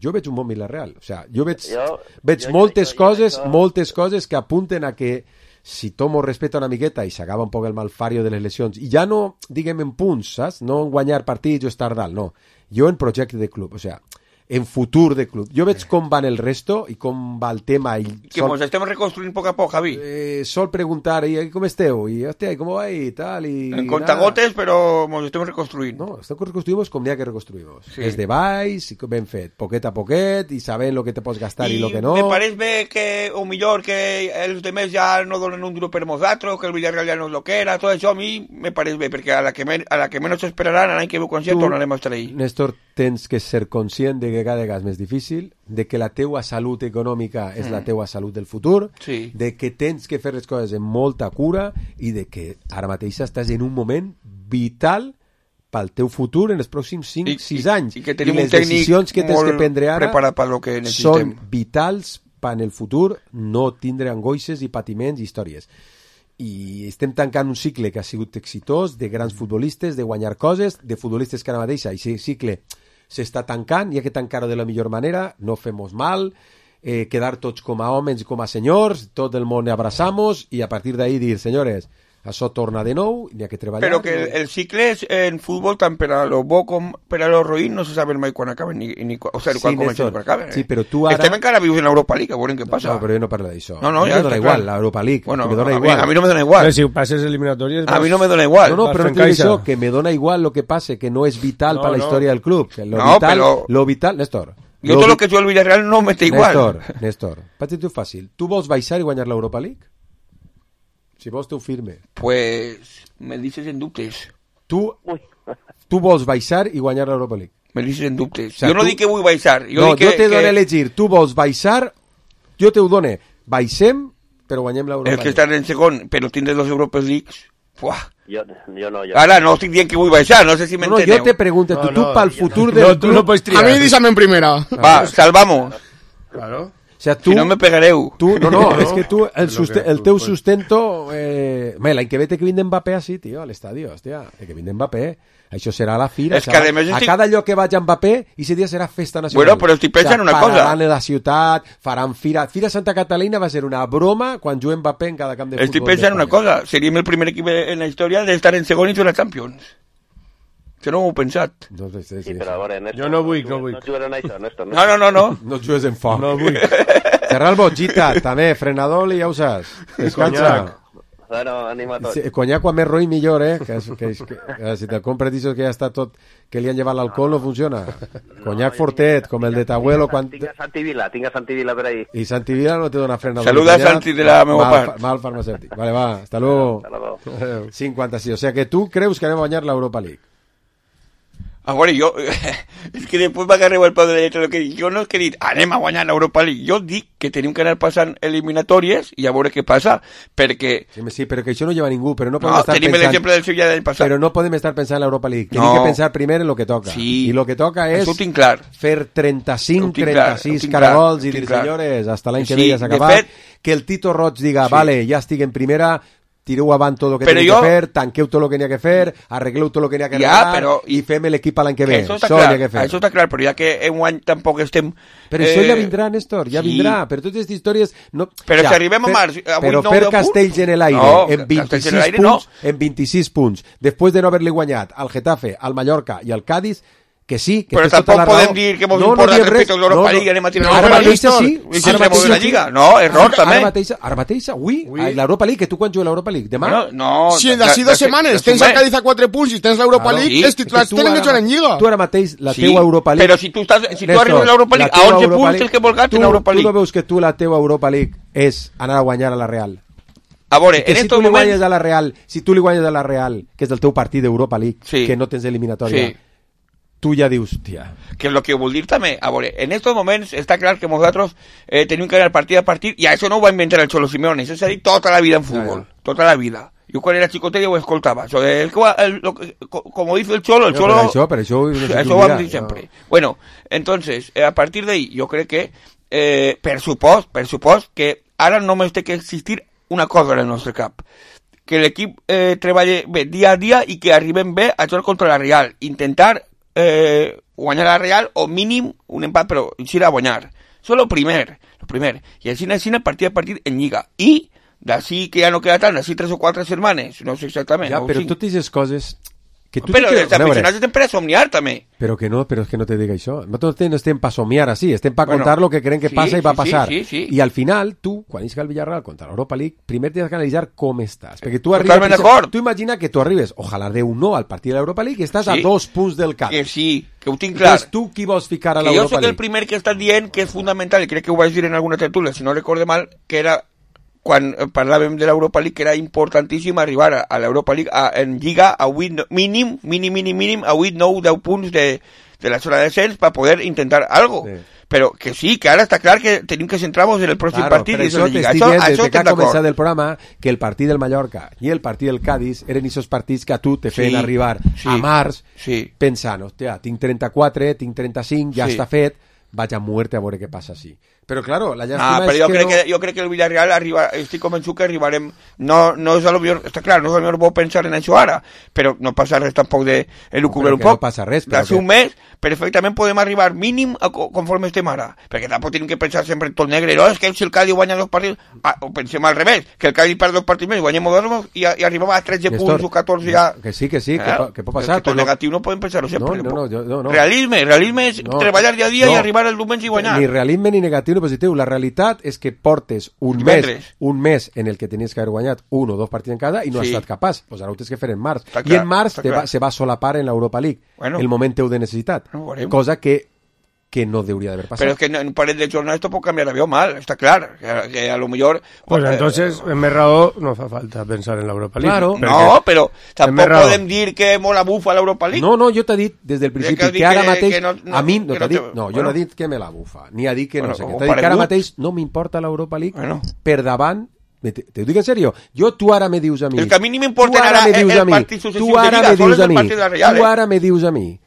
jo veig un bon Villarreal, o sea, jo veig, jo, veig jo, moltes jo, jo, coses, jo, jo, moltes coses que apunten a que si tomo respecte una miqueta i s'acaba un poc el malfario de les lesions, i ja no, diguem, en punts, saps? No en guanyar partits o estar dalt, no. Jo en projecte de club, o sea, en futur de club. Jo veig com van el resto i com va el tema. I que sol... ens estem reconstruint poc a poc, Javi. Eh, sol preguntar, i com esteu? I, hòstia, com va? I tal, i... En contagotes, però ens estem reconstruint. No, estem reconstruïmos com n'hi ha que reconstruïmos. Sí. Des de baix, i ben fet, poquet a poquet, i sabent lo que te pots gastar i, i lo que no. I me pareix bé que, o millor, que els demés ja no donen un duro per nosaltres, que el Villarreal ja no és lo que era, tot això a mi me pareix bé, perquè a la que, men a la que menys esperaran, l'any que ve quan sia, tornarem a estar ahí. Néstor, tens que ser conscient de que cada vegada és més difícil, de que la teua salut econòmica és mm. la teua salut del futur, sí. de que tens que fer les coses amb molta cura i de que ara mateix estàs en un moment vital pel teu futur en els pròxims cinc sis anys. I que tenim I les un tècnic decisions que tens molt que prendre ara preparat per lo que necessitem. són vitals per en el futur no tindre angoixes i patiments i històries. I estem tancant un cicle que ha sigut exitós, de grans futbolistes, de guanyar coses, de futbolistes que ara mateix aquest cicle s'està tancant, i ha que tancar-ho de la millor manera, no fem-nos mal, eh, quedar tots com a homes i com a senyors, tot el món abraçamos, i a partir d'ahí dir, senyores, això torna de nou, n'hi ha que treballar. Però que el, el cicle és, en futbol, tant per a lo bo com per a lo roïn, no se saben mai quan acaben, ni, ni, o sigui, Sí, quan comencen Néstor, quan acaben. Eh? sí, però tu ara- Estem encara vius en l'Europa League, a veure què passa. No, però jo no parlo d'això. No, no, a mi ja me dona està igual, clar. l'Europa League, Bueno, que me dona a mi- igual. a mi no me dona igual. Però si passes eliminatòries... A mi no me dona igual. No, no, vas però no fent t'ho dic caixa. això, que me dona igual lo que pase, que no és vital No, per la no. història del club. Que lo No, vital, però- lo vital, Néstor. Jo tot lo que jo el Villarreal no me té igual. Néstor, Néstor, patit-ho fàcil. Tu vols baixar i guanyar l'Europa League? Si vols, tu firme. Pues me dices en dubtes. Tu, tu vols baixar i guanyar l'Europa League? Me dices en dubtes. O sea, jo no tu- dic que vull baixar. Jo no, dic que, jo te dono que... a elegir. Tu vols baixar, jo te ho dono. Baixem, però guanyem l'Europa El que League. estan en segon, però tindre dos Europes Leagues... Fuah. Jo, jo no, jo Ara no estic dient que vull baixar, no sé si No, no, m'enteneu. jo te pregunto, tu, No, tu no, pel jo futur no. del No, tu club... no pots triar. A mí dísame en primera. Va, salvamos. Claro. O sea, tu, Si no me pegareu. Tu, no, no, No, és que tu, el, lo suste, que el tu teu pots. sustento... Eh... Home, l'any que ve té que vindre Mbappé així, tio, a l'estadi, hòstia. Té que vindre Mbappé. Això serà la fira. És que, serà... a més, A estic- cada lloc que vaig a Mbappé, i ese dia serà festa nacional. Bueno, però estic pensant una cosa. Pararan a la ciutat, faran fira. Fira Santa Catalina va ser una broma quan juguem Mbappé en cada camp de futbol. Estic pensant una d'Espanya. cosa. Seríem el primer equip en la història d'estar en segon i fer la Champions. Que no ho he pensat. No, sí, sí, Sí, però a veure, Néstor, Jo no vull, no jugues- vull. No jugarem a això, Néstor. No, no, no, no. No jugues en foc. No vull. Serà el Botgita, també, frenador i ja ho saps. Descansa. Conyac. Bueno, anima tot. Sí, conyac quan més roïn millor, eh? Que, és- que, és- que, que si te'l compres dices que ja està tot, que li han llevat l'alcohol, no funciona. Conyac fortet, com el de Tabuelo, quan... Tinc a Santi Vila, tinc a Santi Vila per ahí. I Santi Vila no te dona frenador. Saluda a Conyac, Santi de la meva mal, part. Mal farmacèutic. Vale, va, hasta luego. Hasta luego. cinquanta-sis, o sea que tu creus que anem a guanyar l'Europa League. A veure, jo... És que després m'agarreu el peu de la lletra. Que jo no és que he dit, anem a guanyar l'Europa League. Jo dic que tenim que anar passant eliminatòries i a veure què passa, perquè... Sí, sí, però que això no lleva ningú, però no podem No, estar tenim pensant... l'exemple del Sevilla del passat. Però no podem estar pensant en l'Europa League. Tenim No. que pensar primer en lo que toca. Sí. I lo que toca és Això ho tinc clar. fer trenta-cinc, Ho tinc clar, trenta-sis ho tinc clar, caragols ho i dir, tinc clar. senyores, hasta l'any que Sí, ve ja s'ha de acabat. fet- Que el Tito Roig diga, Sí. vale, ja estic en primera, tireu avant tot el que Però teniu jo- que fer, tanqueu tot el que n'hi ha que fer, arregleu tot el que n'hi ha que Ja, arreglar però- i fem l'equip a l'any que ve. Això està Això clar, n'hi ha que fer. això està clar, però ja que en un any tampoc estem... Però això eh, ja vindrà, Néstor, ja sí. vindrà. Però totes aquestes històries... No... Però ja, si arribem a fer- març, avui Però nou fer de punts- castells en l'aire, No, en castells en vint-i-sis l'aire punts, no. en vint-i-sis punts, després de no haver-li guanyat al Getafe, al Mallorca i al Cádiz, que sí, que Però tens tota tampoc la podem raó. dir que mos No, no importa diem respecte res. a l'Europa No, no. League, anem a tirar No, la ara Europa mateix League. sí. I si Ara entrem mateix a la sí. Lliga. No, error Ara també. mateix, ara mateix, avui, a l'Europa League, que tu quan jugues l'Europa League? Demà? Bueno, no, Si de- d'ací de- dues de- setmanes de- tens de- el Cádiz a quatre punts i tens l'Europa Claro. League, Sí. els titulars És que tu tenen que ara- jugar en Lliga. Tu ara mateix, la Sí, teua Europa League... però si tu, estàs, si tu Néstor, arribes a l'Europa League la a teua onze Europa punts, League- tens que volcar-te en tu- l'Europa Tu no League. veus que tu la teua Europa League és anar a guanyar a la Real? A veure, I que en si estos tu li moments... guanyes a la Real, si tu li guanyes a la Real, que és el teu partit d'Europa League, Sí. que no tens eliminatòria, Sí. tu ja dius, tia... Que és el que vull dir també. A veure, en estos moments està clar que nosaltres eh, tenim que anar partit a partit i això no ho va inventar el Cholo Simeone, això s'ha dit tota la vida en futbol, tota la vida. Jo quan era xicotet ja ho escoltava. Això, el, que va- el, lo, que- co- como dice el Cholo, el No, Cholo... per això, per això... No sé Eso tu ho vam diràs, dir no. sempre. Bueno, entonces, eh, a partir d'ahí, jo crec que, eh, per supost, per supost, que ara només té que existir una cosa en el nostre cap. Que l'equip eh, treballi bé dia a dia i que arribem bé a jugar contra la Real. Intentar eh, guanyar la Real o mínim un empat, però eixir a guanyar. Això és el primer, el primer. I així, així, partit a partit en Lliga. I d'ací que ja no queda tant, d'ací tres o quatre setmanes, no sé exactament. Ja, no ho però cinc. totes aquestes coses... Que tu Però te els creus- a veure, aficionats estem per a somniar també. Però que no, però és que no te dic això. Nosaltres no estem per somiar així, estem per Bueno, contar lo que creen que sí, passa i va sí, passar. sí, sí, sí. I al final, tu, quan isca el Villarreal contra l'Europa League, primer tens que analitzar com estàs. Perquè tu arribes... Totalment d'acord. Tu imagina que tu arribes, ojalà Déu no, al partit de l'Europa League i estàs Sí. a dos punts del cap. Que sí, que ho tinc clar. Entonces, tu qui vols ficar a Que jo l'Europa soc el League? primer que està dient que és fundamental, i crec que ho vaig dir en alguna tertúlia, si no recorde mal, que era quan parlàvem de l'Europa League, que era importantíssim arribar a, a l'Europa League a, en Lliga a vuit, mínim, mínim, mínim, mínim, a vuit, nou, deu punts de, de la zona de descens per poder intentar algo. Sí. Però que sí, que ara està clar que tenim que centrar-nos en el pròxim claro, partit. Per això t'estic dient, des que ha començat el programa, que el partit del Mallorca i el partit del Cádiz eren aquests partits que a tu te feien sí, arribar sí, a març sí. pensant, hòstia, tinc trenta-quatre, tinc trenta-cinc, ja sí. està fet, vaig a muerte a veure què passa així. Però, claro, la llàstima ah, però és jo que crec no... que... Jo crec que el Villarreal arriba... Estic convençut que arribarem... No, no és a lo millor... Està clar, no és a lo millor bo pensar en això ara, però no passa res tampoc de elucubrar un poc. No passa res, però... D'ací un mes, perfectament podem arribar mínim a conforme estem ara. Perquè tampoc tenim que pensar sempre en tot negre. No, és que si el Cádiz guanya dos partits... Ah, o pensem al revés, que el Cádiz perd dos partits més, guanyem dos i, i arribem a tretze Néstor, punts o catorze ja... Que sí, que sí, eh? que, que pot passar. Que tot però... negatiu no podem pensar-ho sempre. No, no, no, jo, no, no. Realisme, realisme és no, treballar dia a dia no, i arribar el diumenge i guanyar. Ni realisme ni negatiu ni positiu. La realitat és que portes un mes, un mes en el que tenies que haver guanyat un o dos partits en cada i no sí. has estat capaç. Pues ara ho tens que fer en març. Està I clar, en març te va, se va solapar en l'Europa League bueno, el moment teu de necessitat. No cosa que que no debería haber pasado. Pero es que en un par de jornadas esto puede cambiar avión mal, está claro. Que, que a lo mejor... Pues eh, entonces, en Merrao no fa falta pensar en la Europa League. Claro. No, pero tampoco podem dir que mola bufa l'Europa League. No, no, jo t'he dit des del principi que, que ara mateix... Que no, no, a mi no t'ha no dit... No, jo bueno. no he dit que me la bufa, ni ha dit que bueno, no sé què. T'ha dit que ara mateix no m'importa l'Europa League bueno. per davant... Te, te ho dic en sèrio. Jo, tu ara me dius a mi... El que a mi ni m'importa ara el, el partit successiu de Lliga, sols el partit de la Real. Tu ara me dius a mi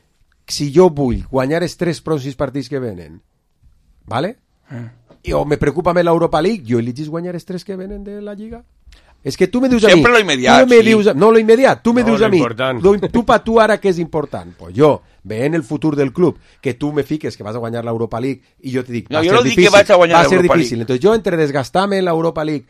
si jo vull guanyar els tres pròxims partits que venen, ¿vale? Eh. I, o me preocupa més l'Europa League, jo elegis guanyar els tres que venen de la Lliga. És que tu me dius a Sempre mi... Sempre lo immediat, me sí. dius a, no, lo immediat. Tu me no, dius a mi... Important. Lo, tu pa tu ara què és important? Pues jo, veient el futur del club, que tu me fiques que vas a guanyar l'Europa League i jo te dic, no, va jo ser no difícil, dic que vaig a guanyar va ser l'Europa difícil. League. Entonces jo entre desgastar-me en l'Europa League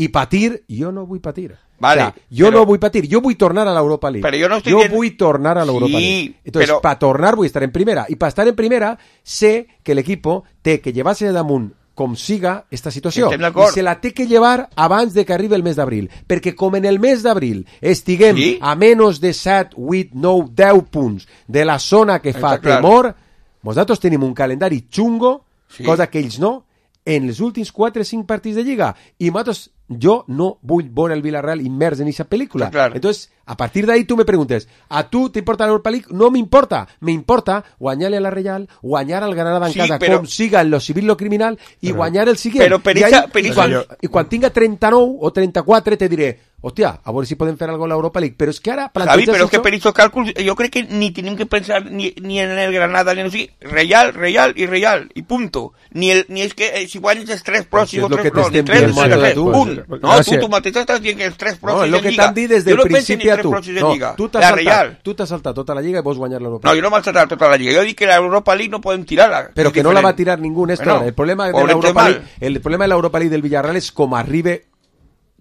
i patir, jo no vull patir. Vale, o sea, jo però... no vull patir, jo vull tornar a l'Europa League. Però jo no estic jo dient... vull tornar a l'Europa sí, League. Entonces, però... para tornar vull estar en primera. I para estar en primera, sé que l'equipo té que llevar-se de damunt com siga esta situació. I se la té que llevar abans de que arribi el mes d'abril. Perquè com en el mes d'abril estiguem sí? a menys de set, vuit, nou, deu punts de la zona que fa Està temor, clar. Nosaltres tenim un calendari xungo, sí. cosa que ells no, en els últims quatre o cinc partits de Lliga. I nosaltres, jo no vull veure el Villarreal immers en aquesta pel·lícula. Claro. Entonces, a partir de ahí tú me preguntes, ¿a tú te importa la Europa League? No me importa. Me importa guanyar-le a la Real, guanyar al Granada en sí, casa, però... com siga en lo civil lo criminal, i però... guanyar el siguiente. Però per esa, per I, quan, I quan tinga trenta-nou o trenta-quatre te diré, hòstia, a veure si podem fer alguna cosa a l'Europa League. Però és que ara... Javi, però és que per aquests càlculs jo crec que ni tenim que pensar ni, ni en el Granada, ni en el sigui. Real, Real i Real, i punto. Ni, el, ni és que eh, si guanyes els tres pròxims o tres pròxims, ni tres, no, tres, punt. No, tu, tu mateix estàs dient que els tres pròxims no, de Lliga. No, el que t'han dit des del principi a tu. No, tu t'has saltat, tu t'has saltat tota la Lliga i vols guanyar l'Europa League. No, jo no m'he saltat tota la Lliga. Jo dic que l'Europa League no podem tirar-la. Però que no la va tirar ningú, Néstor. Bueno, el problema de l'Europa League, el problema de l'Europa League del Villarreal és com arribe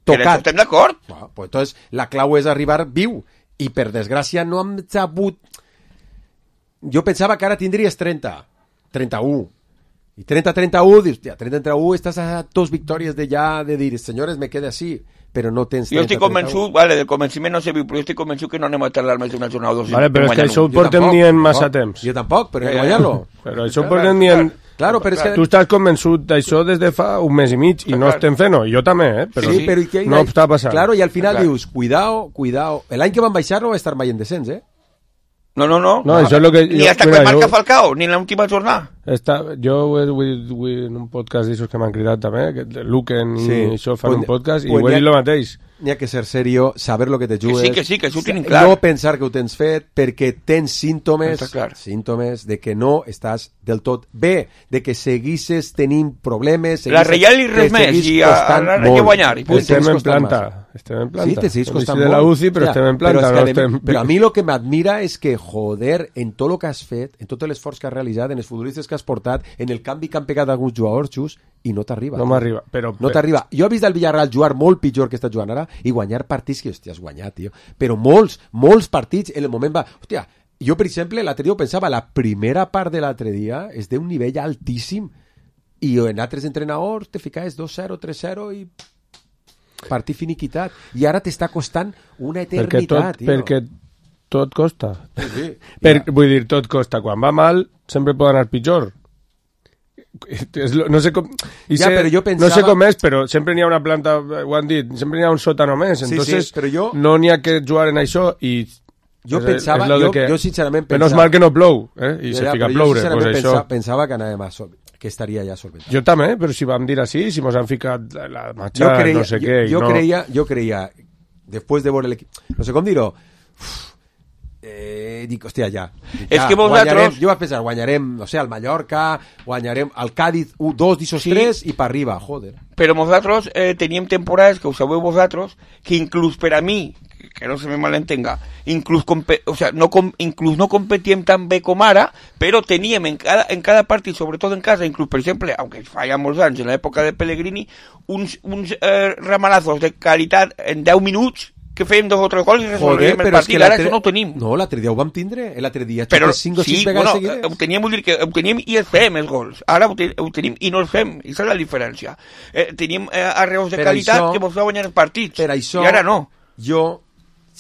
tocat. Estem d'acord? No, pues entonces la clau és arribar viu i per desgràcia no hem sabut. Jo pensava que ara tindries trenta, trenta-u i trenta trenta-u, dius, ja, trenta trenta-u estàs a dos victòries de ja de dir, senyores, me quede així, però no tens trenta, jo estic convençut, vale, del convenciment no sé viu, però jo estic convençut que no anem a tardar més d'una jornada o dos. Vale, però és que això ho portem dient massa temps. Jo tampoc, però hem de guanyar-lo. Però això ho portem dient... Claro, però és que... Tu estàs convençut d'això des de fa un mes i mig i no estem fent-ho. Jo també, eh? Però sí, però que... no està passant. Claro, i al final dius, cuidao, cuidao. L'any que van baixar no va estar mai en descens, eh? No, no, no. no, això és lo que ni jo, hasta que marca jo, Falcao, ni en l'última jornada. Està, jo vull, vull, en un podcast d'aixòs que m'han cridat també, que Luquen i sí. això fan pues, un podcast, pues, i ho he dit el mateix. N'hi ha que ser serio, saber lo que te jugues. Que sí, que sí, que això ho tenim clar. No pensar que ho tens fet, perquè tens símptomes, símptomes de que no estàs del tot bé, de que seguisses tenint problemes. La Real i res més, i ara hay que guanyar. I estem en planta. Estem en planta. Sí, te seguís costant molt. de la U C I, però ja, estem en planta. Però, no que estem... però a mi lo que m'admira és que, joder, en tot el que has fet, en tot l'esforç que has realitzat, en els futbolistes que has portat, en el canvi que han pegat alguns jugadors, xus, i no t'arriba. No m'arriba. Però, no t'arriba. Jo he vist el Villarreal jugar molt pitjor que està jugant ara i guanyar partits que, hòstia, has guanyat, tio. Però molts, molts partits, en el moment va... Hòstia, jo, per exemple, l'altre dia pensava, la primera part de l'altre dia és d'un nivell altíssim i en altres entrenadors te ficaves dos zero, tres zero i... partit finiquitat. I ara t'està costant una eternitat, perquè tot, tio. Perquè tot costa. Sí, sí. Per, ja. Vull dir, tot costa. Quan va mal, sempre pot anar pitjor. és, no sé com... I ja, sé, però jo pensava... No sé com és, però sempre n'hi ha una planta, ho han dit, sempre n'hi ha un sòtano més, sí, entonces sí, però jo... no n'hi ha que jugar en això i... Jo és, pensava, és jo, que, jo sincerament pensava... Menys mal que no plou, eh? I ja, se fica a ploure, jo pues pensava, això... pensava que anàvem a sol... que estaria ja solventat. Jo també, però si vam dir així, si mos han ficat la matxa, creia, no sé jo, què... Jo, no... creia, jo creia, després de veure l'equip... No sé com dir-ho... Eh, dic, hòstia, ja. ja és que vosaltres... Jo vaig pensar, guanyarem, no sé, al Mallorca, guanyarem al Cádiz, un, dos d'ixos sí. tres, i per arriba, joder. Però nosaltres eh, teníem temporades, que ho sabeu vosaltres, que inclús per a mi, que no se me malentenga, inclús, o sea, no, com, inclús no competíem tan bé com ara, però teníem en cada, en cada partit, sobretot en casa, inclús, per exemple, aunque falla molts anys, en l'època de Pellegrini, uns, uns eh, ramalazos de qualitat en deu minuts, que fèiem dos o tres gols i resolvíem el partit, ara això no ho tenim. No, l'altre dia ho vam tindre, l'altre dia però cinc o sí, sis vegades bueno, seguides. Ho teníem, vull dir que ho teníem i els fem, els gols. Ara ho, ten, ho tenim i no els fem, i aquesta és la diferència. Eh, tenim eh, arreus de per qualitat això, que mos va guanyar els partits, per això, i ara no. Jo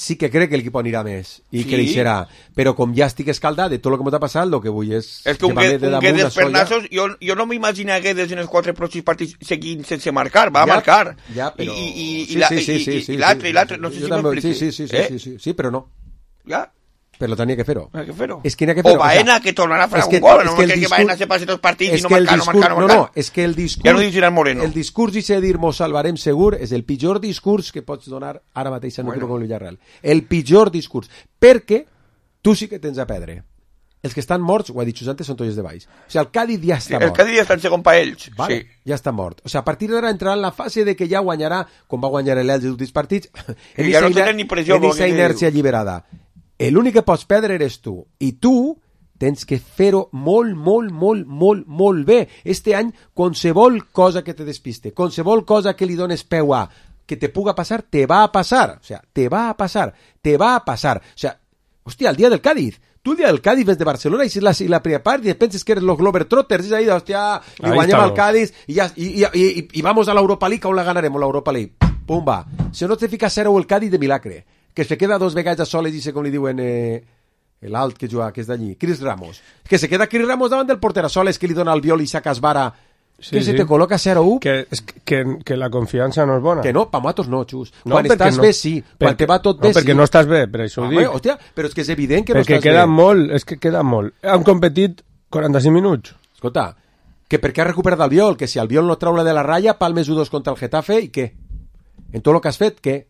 sí que crec que l'equip anirà més i sí. creixerà, però com ja estic escaldat de tot el que m'ha passat, el que vull és... És que un, que, un Guedes per nassos, jo, jo no m'imagino Guedes en els quatre pròxims partits seguint sense marcar, va ja, marcar. Ja, però... I, i, i, sí, la, sí, sí, i, sí, i, sí, i l'altre, sí, i l'altre, no sé sí, si m'explico. Sí, sí, sí, sí, eh? sí, sí, sí, però no. Ja. Però tenia que fer-ho. Tenia que fer-ho. És que que fer-ho. O Baena, o sea, que tornarà a fer un gol, no que, que Baena se passi tots els partits i no marcar, no marcar, no marcar. No, no, és que el discurs... Ja no dius Gerard Moreno. El discurs i dir mos salvarem segur és el pitjor discurs que pots donar ara mateix en un bueno. club com el Villarreal. El pitjor discurs. Perquè tu sí que tens a perdre. Els que estan morts, ho ha dit antes, són tolles de baix. O sigui, el Cádiz ja està sí, mort. El Cádiz ja està en segon pa ells. Vale, sí. Ja està mort. O sigui, a partir d'ara entrarà en la fase de que ja guanyarà, com va guanyar l'Elx els últims partits, en ja no tenen ni pressió. En aquesta inèrcia alliberada. L'únic que pots perdre eres tu. I tu tens que fer-ho molt, molt, molt, molt, molt bé. Este any, qualsevol cosa que te despiste, qualsevol cosa que li dones peu a, que te puga passar, te va a passar. O sea, te va a passar, te va a passar. O sea, hòstia, el dia del Cádiz. Tu el dia del Cádiz ves de Barcelona i la, la primera part i penses que eres los Globetrotters i ahí, hòstia, i guanyem al Cádiz i, ja, i, i, i, i, i vamos a l'Europa League, on la ganarem, la Europa League. Pum, va. Si no te fica cero el Cádiz de milagre, que se queda dos vegades a soles i se com li diuen eh, l'alt que juga, que és d'allí, Chris Ramos, que se queda Chris Ramos davant del porter a soles que li dona el viol i saca esvara, sí, que sí. Se te col·loca zero u. Que, que, que la confiança no és bona. Que no, pa matos no, Xus. No, quan estàs no, bé, sí. Quan te va tot no, bé, sí. Perquè no estàs bé, per això ho dic. Hòstia, però és que és evident que no perquè estàs queda bé. Molt, és que queda molt. Han competit quaranta-cinc minuts. Escolta, que perquè ha recuperat el viol, que si el viol no trau la de la ratlla, palmes u dos contra el Getafe, i què? En tot el que has fet, què?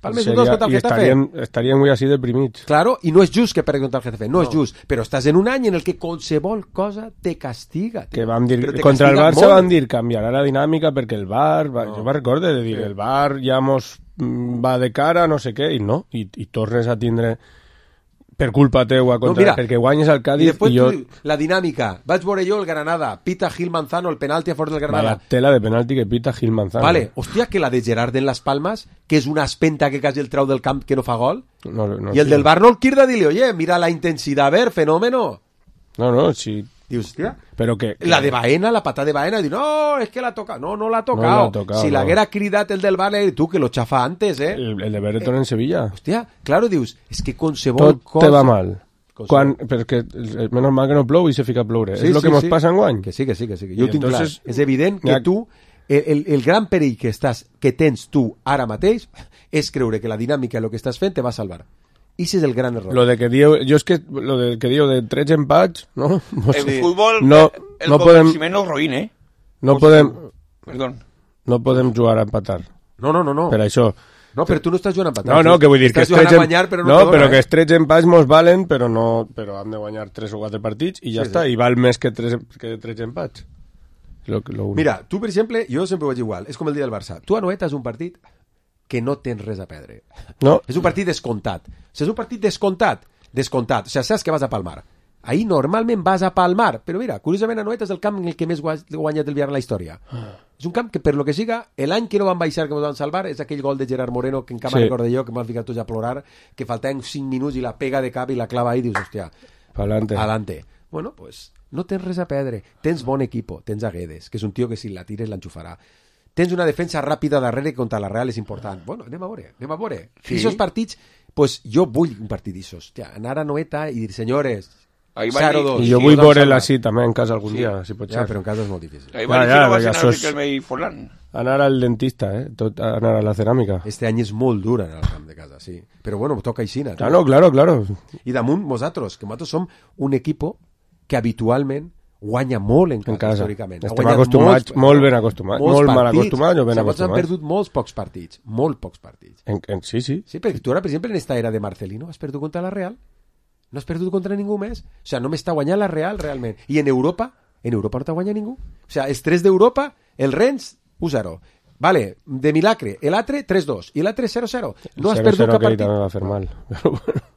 Palmes u dos contra el Getafe. Estaríem, estaríem avui així deprimits. Claro, i no és just que perdi contra el Getafe, no, no és just, però estàs en un any en el que qualsevol cosa te castiga. Que vam dir, contra el Barça van dir canviarà la dinàmica perquè el V A R, va, no. jo me'n recorde de dir, sí. el V A R ja mos va de cara, no sé què, i no, i, i tornes a tindre per culpa teua, contra, no, mira, perquè guanyes el Cádiz. I després i jo... tu, la dinàmica, vaig veure jo el Granada, pita Gil Manzano, el penalti a fora del Granada. Vaya tela de penalti que pita Gil Manzano. Vale, hòstia, que la de Gerard en Las Palmas, que és una espenta que quasi el trau del camp que no fa gol, no, no, i el sí. del Bar no el quirda, dile, oye, mira la intensidad, a ver, fenómeno. No, no, sí. Dius, hòstia, pero que, que... la de Baena, la patada de Baena, diu, no, es que la toca, no, no la ha tocado. No la tocado si no. l'haguera cridat el del Bar, tú, que lo chafa antes, eh. El, el de Bereton eh, en Sevilla. Hòstia, claro, dius, és que qualsevol tot cosa... te va mal. Quan, perquè menys mal que no plou i se fica a ploure. Sí, és el sí, que mos sí. passa enguany. Que sí, que sí, que sí. Que jo ho tinc entonces, clar. És evident que ha... tu, el, el, el gran perill que, estàs, que tens tu ara mateix és creure que la dinàmica de lo que estàs fent te va salvar. I ese és el gran error. Lo de que diu, jo és que lo de que diu de tres empats, no? No sé. El futbol, no, el no podem, menos roïn, eh? No podem, Perdón. No podem jugar a empatar. No, no, no, no. Per això. No, però tu no estàs jugant a empatar. No, no, que vull dir que estàs jugant a guanyar, però no, no dona, però eh? que els tres empats mos valen, però no, però hem de guanyar tres o quatre partits i ja sí, està, sí. I val més que tres, que tres empats. Lo, lo Mira, tu, per exemple, jo sempre ho vaig igual, és com el dia del Barça. Tu a Noeta és un partit que no tens res a perdre. No. És un partit descomptat. O sigui, és un partit descomptat, descomptat. O sigui, saps que vas a palmar. Ahí normalment vas a palmar, però mira, curiosament a Noeta és el camp en el que més guanyat el Villarreal en la història. Ah. És un camp que, per lo que siga, l'any que no van baixar, que ens van salvar, és aquell gol de Gerard Moreno, que encara sí. recordo jo, que m'han ficat tots a plorar, que faltaven cinc minuts i la pega de cap i la clava ahí, dius, hòstia, Palante. Alante. Bueno, pues no tens res a perdre. Tens bon equipo, tens a Guedes, que és un tio que si la tires l'enxufarà. Tens una defensa ràpida darrere que contra la Real és important. Bueno, anem a veure, anem a veure. Sí. I aquests partits, pues jo vull un partit d'aixòs. Anar a Noeta i dir, senyores, zero dos. I jo vull veure'l així també en casa algun sí. dia, si pot ser. Ja, però en casa és molt difícil. Ahir va dir que no va ser anar a Riquelme i Forlán. Anar al dentista, eh? Tot, anar a la ceràmica. Este any és molt dur anar al camp de casa, sí. Però bueno, toca aixina. Claro, claro, claro. I damunt, nosaltres, que nosaltres som un equipo que habitualment guanya molt en casa, en casa. històricament. Estem acostumats, molts, molt ben acostumats, molt mal acostumats o ben acostumats. acostumats. Han perdut molts pocs partits, molt pocs partits. En, en, sí, sí. Sí, perquè tu ara, per exemple, en esta era de Marcelino, has perdut contra la Real? No has perdut contra ningú més? O sea, només t'ha guanyat la Real, realment. I en Europa? En Europa no t'ha guanyat ningú. O sea, els tres d'Europa, el Rennes, u zero. Vale, de milagre, el altre tres dos i l'altre zero zero. No has perdut cap partit. El zero zero que va fer mal. Però bueno.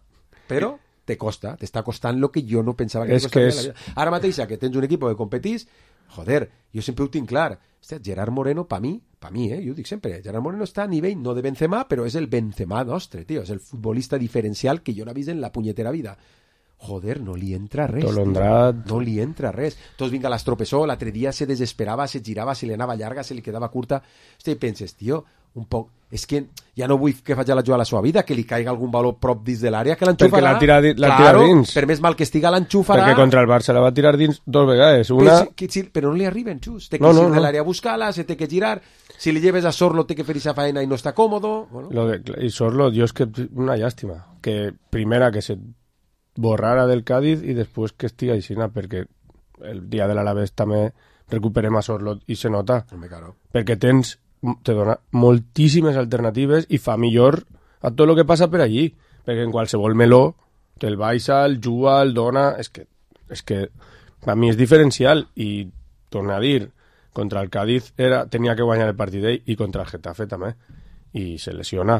Però te costa, t'està costant lo que jo no pensava que és te costaria que és... la vida. Ara mateix que tens un equip que competís, joder, jo sempre ho tinc clar. Hòstia, Gerard Moreno, pa mi, pa mi, eh, jo ho dic sempre, Gerard Moreno està a nivell no de Benzema, però és el Benzema nostre, tio, és el futbolista diferencial que jo no he vist en la punyetera vida. Joder, no li entra res, Tolondrat. No li entra res. Tots vinga l'estropessó, l'altre dia se desesperava, se girava, se li anava llarga, se li quedava curta. Hòstia, i penses, tio, un poc... És que ja no vull que faci la jugada a la seva vida, que li caiga algun valor prop dins de l'àrea, que l'enxufarà. Perquè l'ha tirat, l'ha claro, tirat dins. Per més mal que estiga, l'enxufarà. Perquè contra el Barça la va tirar dins dos vegades. Una... Però, si, si, però no li arriben, xus. Té que no, ir no, de no. l'àrea a buscar-la, se té que girar. Si li lleves a Sorlo, té que fer esa faena i no està còmodo. Bueno. Lo de, I Sorlo, Dios, que una llàstima. Que primera que se borrara del Cádiz i després que estigui aixina, perquè el dia de l'Alavés també recuperem a Sorlo i se nota. Home, claro. Perquè tens te dona moltíssimes alternatives i fa millor a tot el que passa per allí, perquè en qualsevol meló te'l baixa, el juga, el dona, és que, és que a mi és diferencial i torna a dir, contra el Cádiz era, tenia que guanyar el partit d'ell i contra el Getafe també, i se lesiona,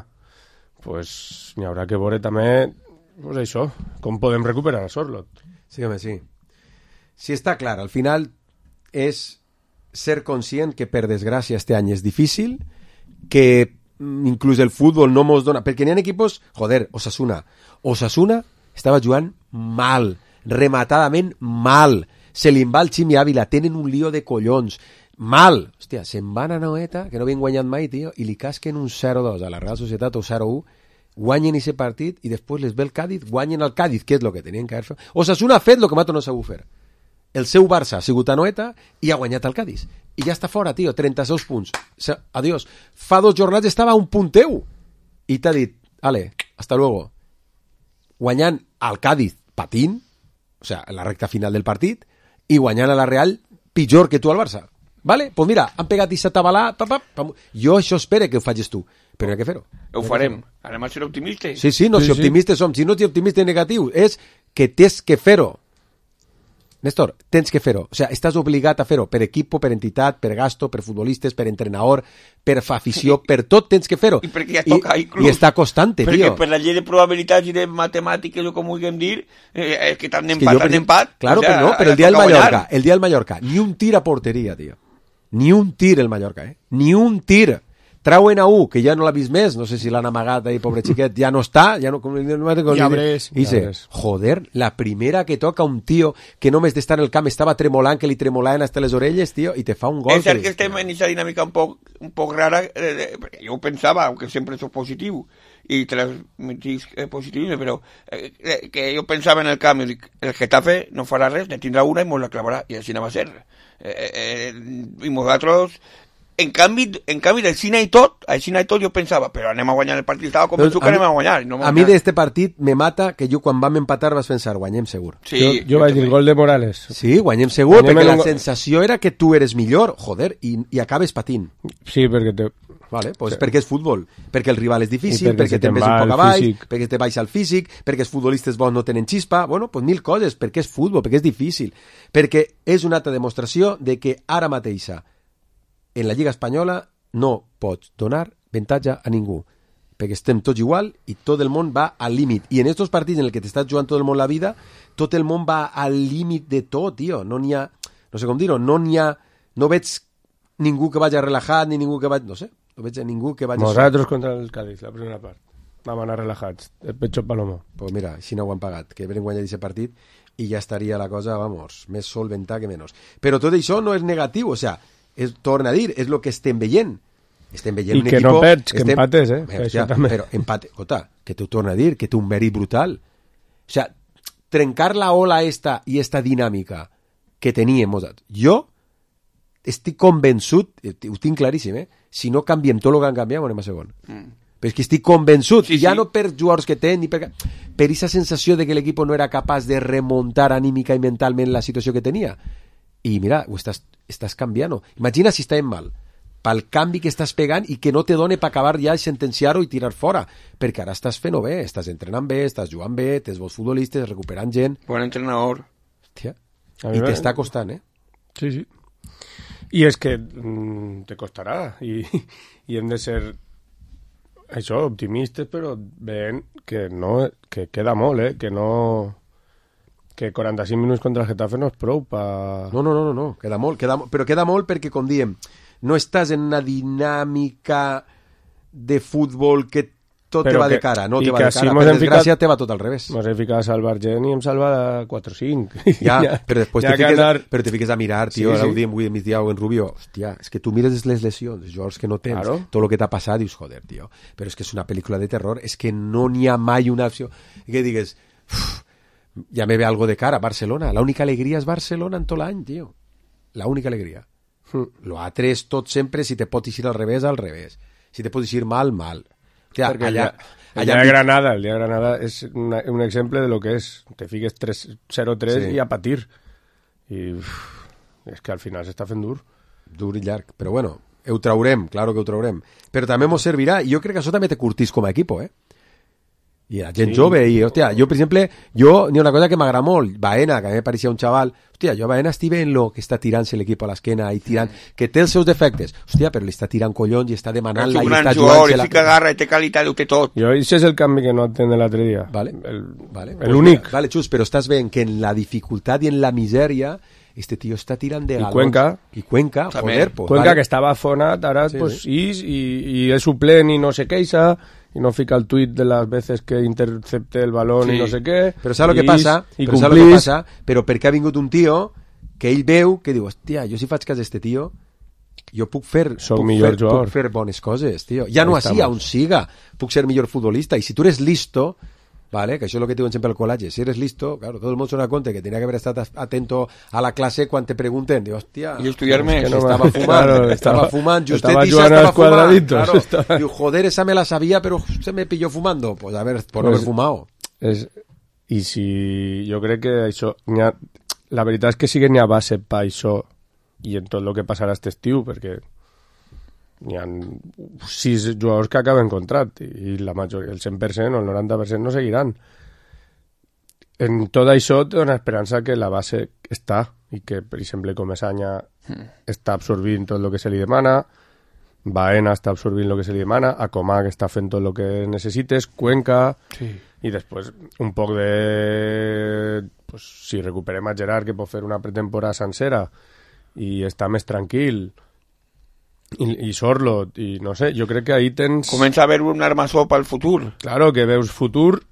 pues n'hi haurà que veure també pues això, com podem recuperar a Sorlot. Sí, home, sí. Sí, està clar, al final és ser conscient que per desgràcia este any és difícil, que inclús el futbol no mos dona, perquè n'hi ha equipos, joder, Osasuna Osasuna estava jugant mal, rematadament mal, se li va el Ximi Ávila, tenen un lío de collons, mal, hòstia, se'n van a Noeta, que no havien guanyat mai, tio, i li casquen un zero dos a la Real Societat o zero u, guanyen aquest partit i després les ve el Cádiz, guanyen el Cádiz, que és el que tenien que haver fet. Osasuna ha fet el que Mato no sabut fer. El seu Barça ha sigut a Noeta i ha guanyat el Cádiz. I ja està fora, tio, trenta-sis punts. Adiós. Fa dos jornades estava a un punteu. I t'ha dit, ale, hasta luego. Guanyant al Cádiz patint, o sea, en la recta final del partit, i guanyant a la Real pitjor que tu al Barça. Vale? Pues mira, han pegat i s'atabalà, pam, pam. Jo això espero que ho facis tu, però hi ha que fer-ho. Ho farem. Anem a ser optimistes. Sí, sí, no, sí, si optimistes sí. som. Si no ets optimista negatiu, és que tens que fer-ho. Néstor, tens que fer-ho. O sigui, estàs obligat a fer-ho per equipo, per entitat, per gasto, per futbolistes, per entrenador, per afició, per tot tens que fer-ho. I perquè ja toca, I, inclús. I està costant, tio. Perquè per la llei de probabilitats i de matemàtiques, o com ho vulguem dir, eh, és que t'han empat, t'han empat. Claro, o sea, però no, però el dia del Mallorca, el dia del Mallorca, ni un tir a porteria, tio. Ni un tir el Mallorca, eh? Ni un tir. Trauen a U, que ja no l'ha vist més, no sé si l'han amagat ahí, pobre xiquet, ja no està, ja no... Ja ves. I dice, joder, la primera que toca un tio que només d'estar en el camp estava tremolant, que li tremolaven hasta les orelles, tio, i te fa un gol. És cert que estem en aquesta dinàmica un poc, un poc rara, eh, jo ho pensava, aunque sempre soc positiu, i transmitís eh, positivisme, però eh, que jo pensava en el camp, el Getafe no farà res, ne tindrà una i mos la clavarà, i així anava a ser. Eh, eh, I nosaltres... En canvi, en canvi del cine i tot, al cine i tot jo pensava, però anem a guanyar el partit, estava convençut que anem a guanyar. No a mi d'este partit me mata que jo quan vam empatar vas pensar, guanyem segur. Sí, jo, jo vaig dir gol de Morales. Sí, guanyem segur, guanyem perquè la go... sensació era que tu eres millor, joder, i, i acabes patint. Sí, perquè te... Vale, pues sí. Perquè és futbol, perquè el rival és difícil, perquè, perquè te'n ves un poc avall, perquè te baixa el físic, perquè els futbolistes bons no tenen xispa, bueno, pues mil coses, perquè és futbol, perquè és difícil, perquè és una altra demostració de que ara mateixa en la Lliga Espanyola no pots donar avantatge a ningú, perquè estem tots igual i tot el món va al límit. I en estos partits en el que t'estàs jugant tot el món la vida, tot el món va al límit de tot, tio. No n'hi ha, no sé com dir-ho, no n'hi ha, no veig ningú que vagi relajat, ni ningú que vagi, no sé, no veig ningú que vagi... Nosaltres contra el Cádiz, la primera part. Vam anar relajats, el pecho palomo. Pues mira, així no ho han pagat, que venen guanyar aquest partit i ja estaria la cosa, vamos, més solventar que menys. Però tot això no és negatiu, o sea, és, torna a dir, és el que estem veient. Estem veient I un que equipo... no perds, que estem... empates, eh? Hòstia, però empate, escolta, que t'ho torna a dir, que té un mèrit brutal. O sea, trencar la ola esta i esta dinàmica que teníem. Jo estic convençut, ho tinc claríssim, eh? Si no canviem tot el que han canviat, anem a segon. Mm. Però és que estic convençut, sí, ja sí. No per jugadors que tenen, ni per per aquesta sensació de que l'equip no era capaç de remuntar anímica i mentalment la situació que tenia. I mira, ho estàs, estàs canviant. Imagina si estàvem mal, pel canvi que estàs pegant i que no te dona per acabar ja i sentenciar-ho i tirar fora, perquè ara estàs fent-ho bé, estàs entrenant bé, estàs jugant bé, tens bons futbolistes, recuperant gent. Bon entrenador. Hòstia. I t'està costant, eh? Sí, sí. I és que mm, te costarà i, i hem de ser això, optimistes, però veient que no, que queda molt, eh? Que no... que quaranta-cinc minuts contra el Getafe no és prou pa... No, no, no, no, queda molt, queda, però queda molt perquè, com diem, no estàs en una dinàmica de futbol que tot però te va que, de cara, no te va de cara, per desgràcia ficat, te va tot al revés. Mos hem ficat a salvar gent i hem salvat quatre cinc. Ja, ja, però després te fiques, anar... però te fiques a mirar, tio, sí, sí. ara ho diem avui a migdia en Rubio, hòstia, és que tu mires les lesions, els jugadors que no tens, claro. Tot el que t'ha passat, dius, joder, tio, però és que és una pel·lícula de terror, és que no n'hi ha mai una opció, que digues, uf, ja me ve algo de cara, Barcelona, l'única alegria és Barcelona en tot l'any, tio, l'única alegria. Mm. Lo altre és tot sempre, si te pot eixir al revés, al revés, si te pot eixir mal, mal. Hòstia, perquè allà... El dia de Granada, el dia de Granada és una, un exemple de lo que és. Te fiques zero tres sí. I a patir. I uf, és que al final s'està fent dur. Dur i llarg. Però bueno, ho traurem, claro que ho traurem. Però també mos servirà, i jo crec que això també te curtís com a equipo, eh? I la gent sí. Jove, i hòstia, jo per exemple, jo, n'hi ha una cosa que m'agrada molt, Baena, que a mi me pareixia un xaval, hòstia, jo a Baena estic en lo que està tirant-se l'equip a l'esquena i tirant, que té els seus defectes, hòstia, però li està tirant collons i està demanant-la i està jugant-se la... fica garra i té qualitat, ho té tot. Jo, això és el canvi que no entenc de l'altre dia. Vale, el, vale. L'únic. Pues, vale, Xus, però estàs veient que en la dificultat i en la misèria este tío està tirant de galons. I Cuenca. I Cuenca, joder, pues, Cuenca, vale. Que estava afonat, ara sí, pues, sí. is, i, i és suplent i no se queixa, i no fica el tuit de las veces que intercepte el balón sí. I no sé què. Però saps el que passa? I però saps el que passa? Però perquè ha vingut un tio que ell veu, que diu, hòstia, jo si faig cas d'este tio, jo puc fer, puc fer, jugador. puc fer bones coses, tio. Ja no així, on siga, puc ser millor futbolista. I si tu eres listo, vale, que això és el que diuen sempre al col·legi, si eres listo, claro, todo el mundo se da cuenta que tenía que haber estado atento a la clase quan te pregunten, diu, hòstia, i estudiar-me, que no estava fumant, claro, estava fumant, justet estava i estava fumant, claro. Estava... Diu, joder, esa me la sabía, pero se me pilló fumando, pues a ver, por no haber fumado. És... I si jo crec que això, ha... la veritat és que sí que n'hi ha base per això i en tot el que passarà aquest estiu, perquè n'hi ha sis jugadors que acaben contract i la majoria, el cent per cent o el noranta per cent no seguiran. En tot això té una esperança que la base està i que, per exemple, Comesaña mm. està absorbint tot el que se li demana, Baena està absorbint el que se li demana, Acomà que està fent tot el que necessites, Cuenca sí. I després un poc de pues, si recuperem a Gerard que pot fer una pretemporada sencera i està més tranquil i, i Sorlot i no sé, jo crec que ahí tens... Comença a haver un armassó pel futur. Claro, que veus futur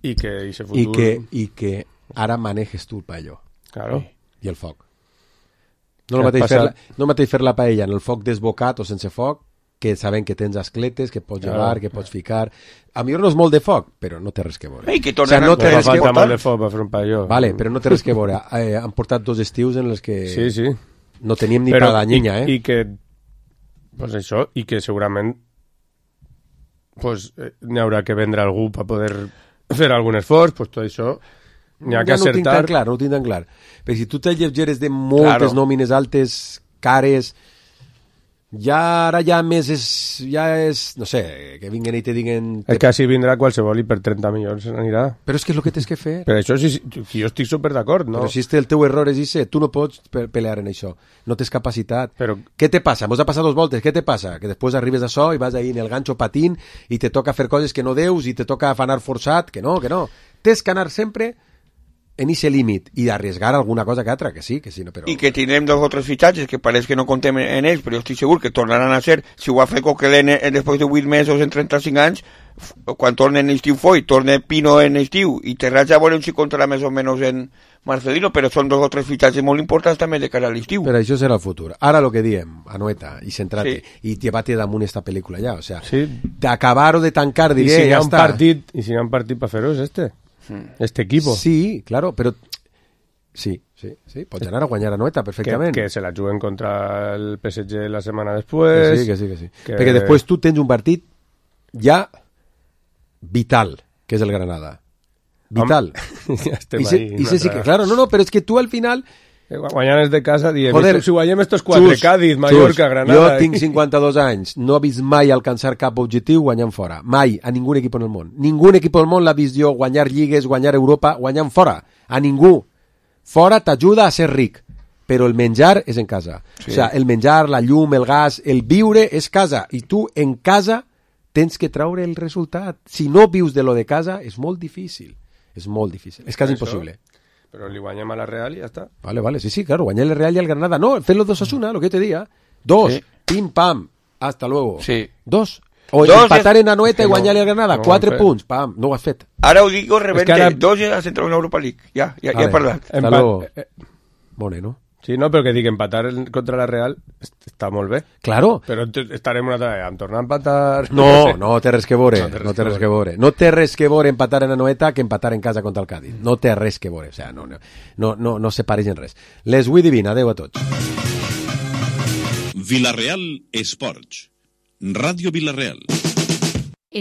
i que ese futur... I que, i que ara manejes tu el paelló. Claro. I el foc. No el mateix, fer la, no el mateix fer la paella en el foc desbocat o sense foc, que saben que tens escletes, que pots claro. llevar, que pots ficar... A millor no és molt de foc, però no té res que veure. Ei, que tornen o sea, no té res que veure. Molt de foc per fer un paelló. Vale, però no té res que veure. Eh, han portat dos estius en els que sí, sí. no teníem ni però, per la llenya, eh? I, i que... Pues això, i que segurament pues, eh, n'hi haurà que vendre algú per poder fer algun esforç, pues tot això n'hi ha ja que acertar. No ho tinc tan clar, no ho tinc tan clar. Però si tu te llegeres de moltes claro. nòmines altes, cares... Ja ara ja més és, ja és, no sé, que vinguen i te diguen... És que així vindrà qualsevol i per trenta milions anirà. Però és que és el que tens que fer. Per això sí, sí, jo estic super d'acord, no? Però si el teu error és ese, tu no pots pelear en això, no tens capacitat. Però... Què te passa? Mos ha passat dos voltes, què te passa? Que després arribes a això i vas ahí en el ganxo patint i te toca fer coses que no deus i te toca afanar forçat, que no, que no. Tens que anar sempre... en ese límit i d'arriesgar alguna cosa que altra, que sí, que sí, no, però... I que tindrem dos o tres fitxatges que pareix que no contem en ells, però jo estic segur que tornaran a ser, si ho ha fet Coquelin després de vuit mesos en trenta-cinc anys, quan torna en estiu Foy, torna Pino en estiu, i Terratxa veurem si comptarà més o menys en Marcelino, però són dos o tres fitxatges molt importants també de cara a l'estiu. Però això serà el futur. Ara el que diem, Anoeta, i centrar-te, sí. I llevar-te damunt esta pel·lícula ja, o sea, sí. d'acabar o de tancar, diré, si ja està. Partit, I si hi ha un partit per fer-ho és este. este equipo. Sí, claro, però... Sí, sí, sí, pots anar a guanyar a Noeta perfectament. Que, que se la juguen contra el P S G la setmana després. Que sí, que sí, que sí. Que... Perquè després tu tens un partit ja vital, que és el Granada. Vital. Ja estem I se, ahí. I se, sí que, claro, no, no, però és que tu al final... Guanyant de casa, diem, Joder, si guanyem estos quatre, Xus, Cádiz, Mallorca, Xus, Granada... Jo tinc cinquanta-dos anys, no he vist mai alcançar cap objectiu guanyant fora. Mai, a ningú equip en el món. Ningú equip del món l'ha vist jo guanyar lligues, guanyar Europa, guanyant fora. A ningú. Fora t'ajuda a ser ric, però el menjar és en casa. Sí. O sea, el menjar, la llum, el gas, el viure és casa. I tu en casa tens que traure el resultat. Si no vius de lo de casa, és molt difícil. És molt difícil. És quasi impossible. Però li guanyem a la Real i ja està. Vale, vale, sí, sí, claro, guanyar el Real y el Granada. No, fer-lo dos a una, lo que te diga. Dos, sí. Pim, pam, hasta luego. Sí. Dos. O dos empatar es... en Anoeta i guanyar-li al Granada. No, Quatre no punts, pam, no ho has fet. Ara ho dic rebente, ara... dos ja has entrat en Europa League. Ja, ja, ja he parlat. Hasta Empat... luego. Mone, no? Sí, no, però que dic, empatar contra la Real està molt bé. Claro. Però estarem una altra vegada, em tornar a empatar... No, no té res que veure, no té res que veure. No té res que veure empatar en Anoeta que empatar en casa contra el Cádiz. No té res que veure, o sea, no, no, no, no, no se pareixen res. Les vull divina, adeu a tots. Vilareal Esports. Ràdio Vilareal.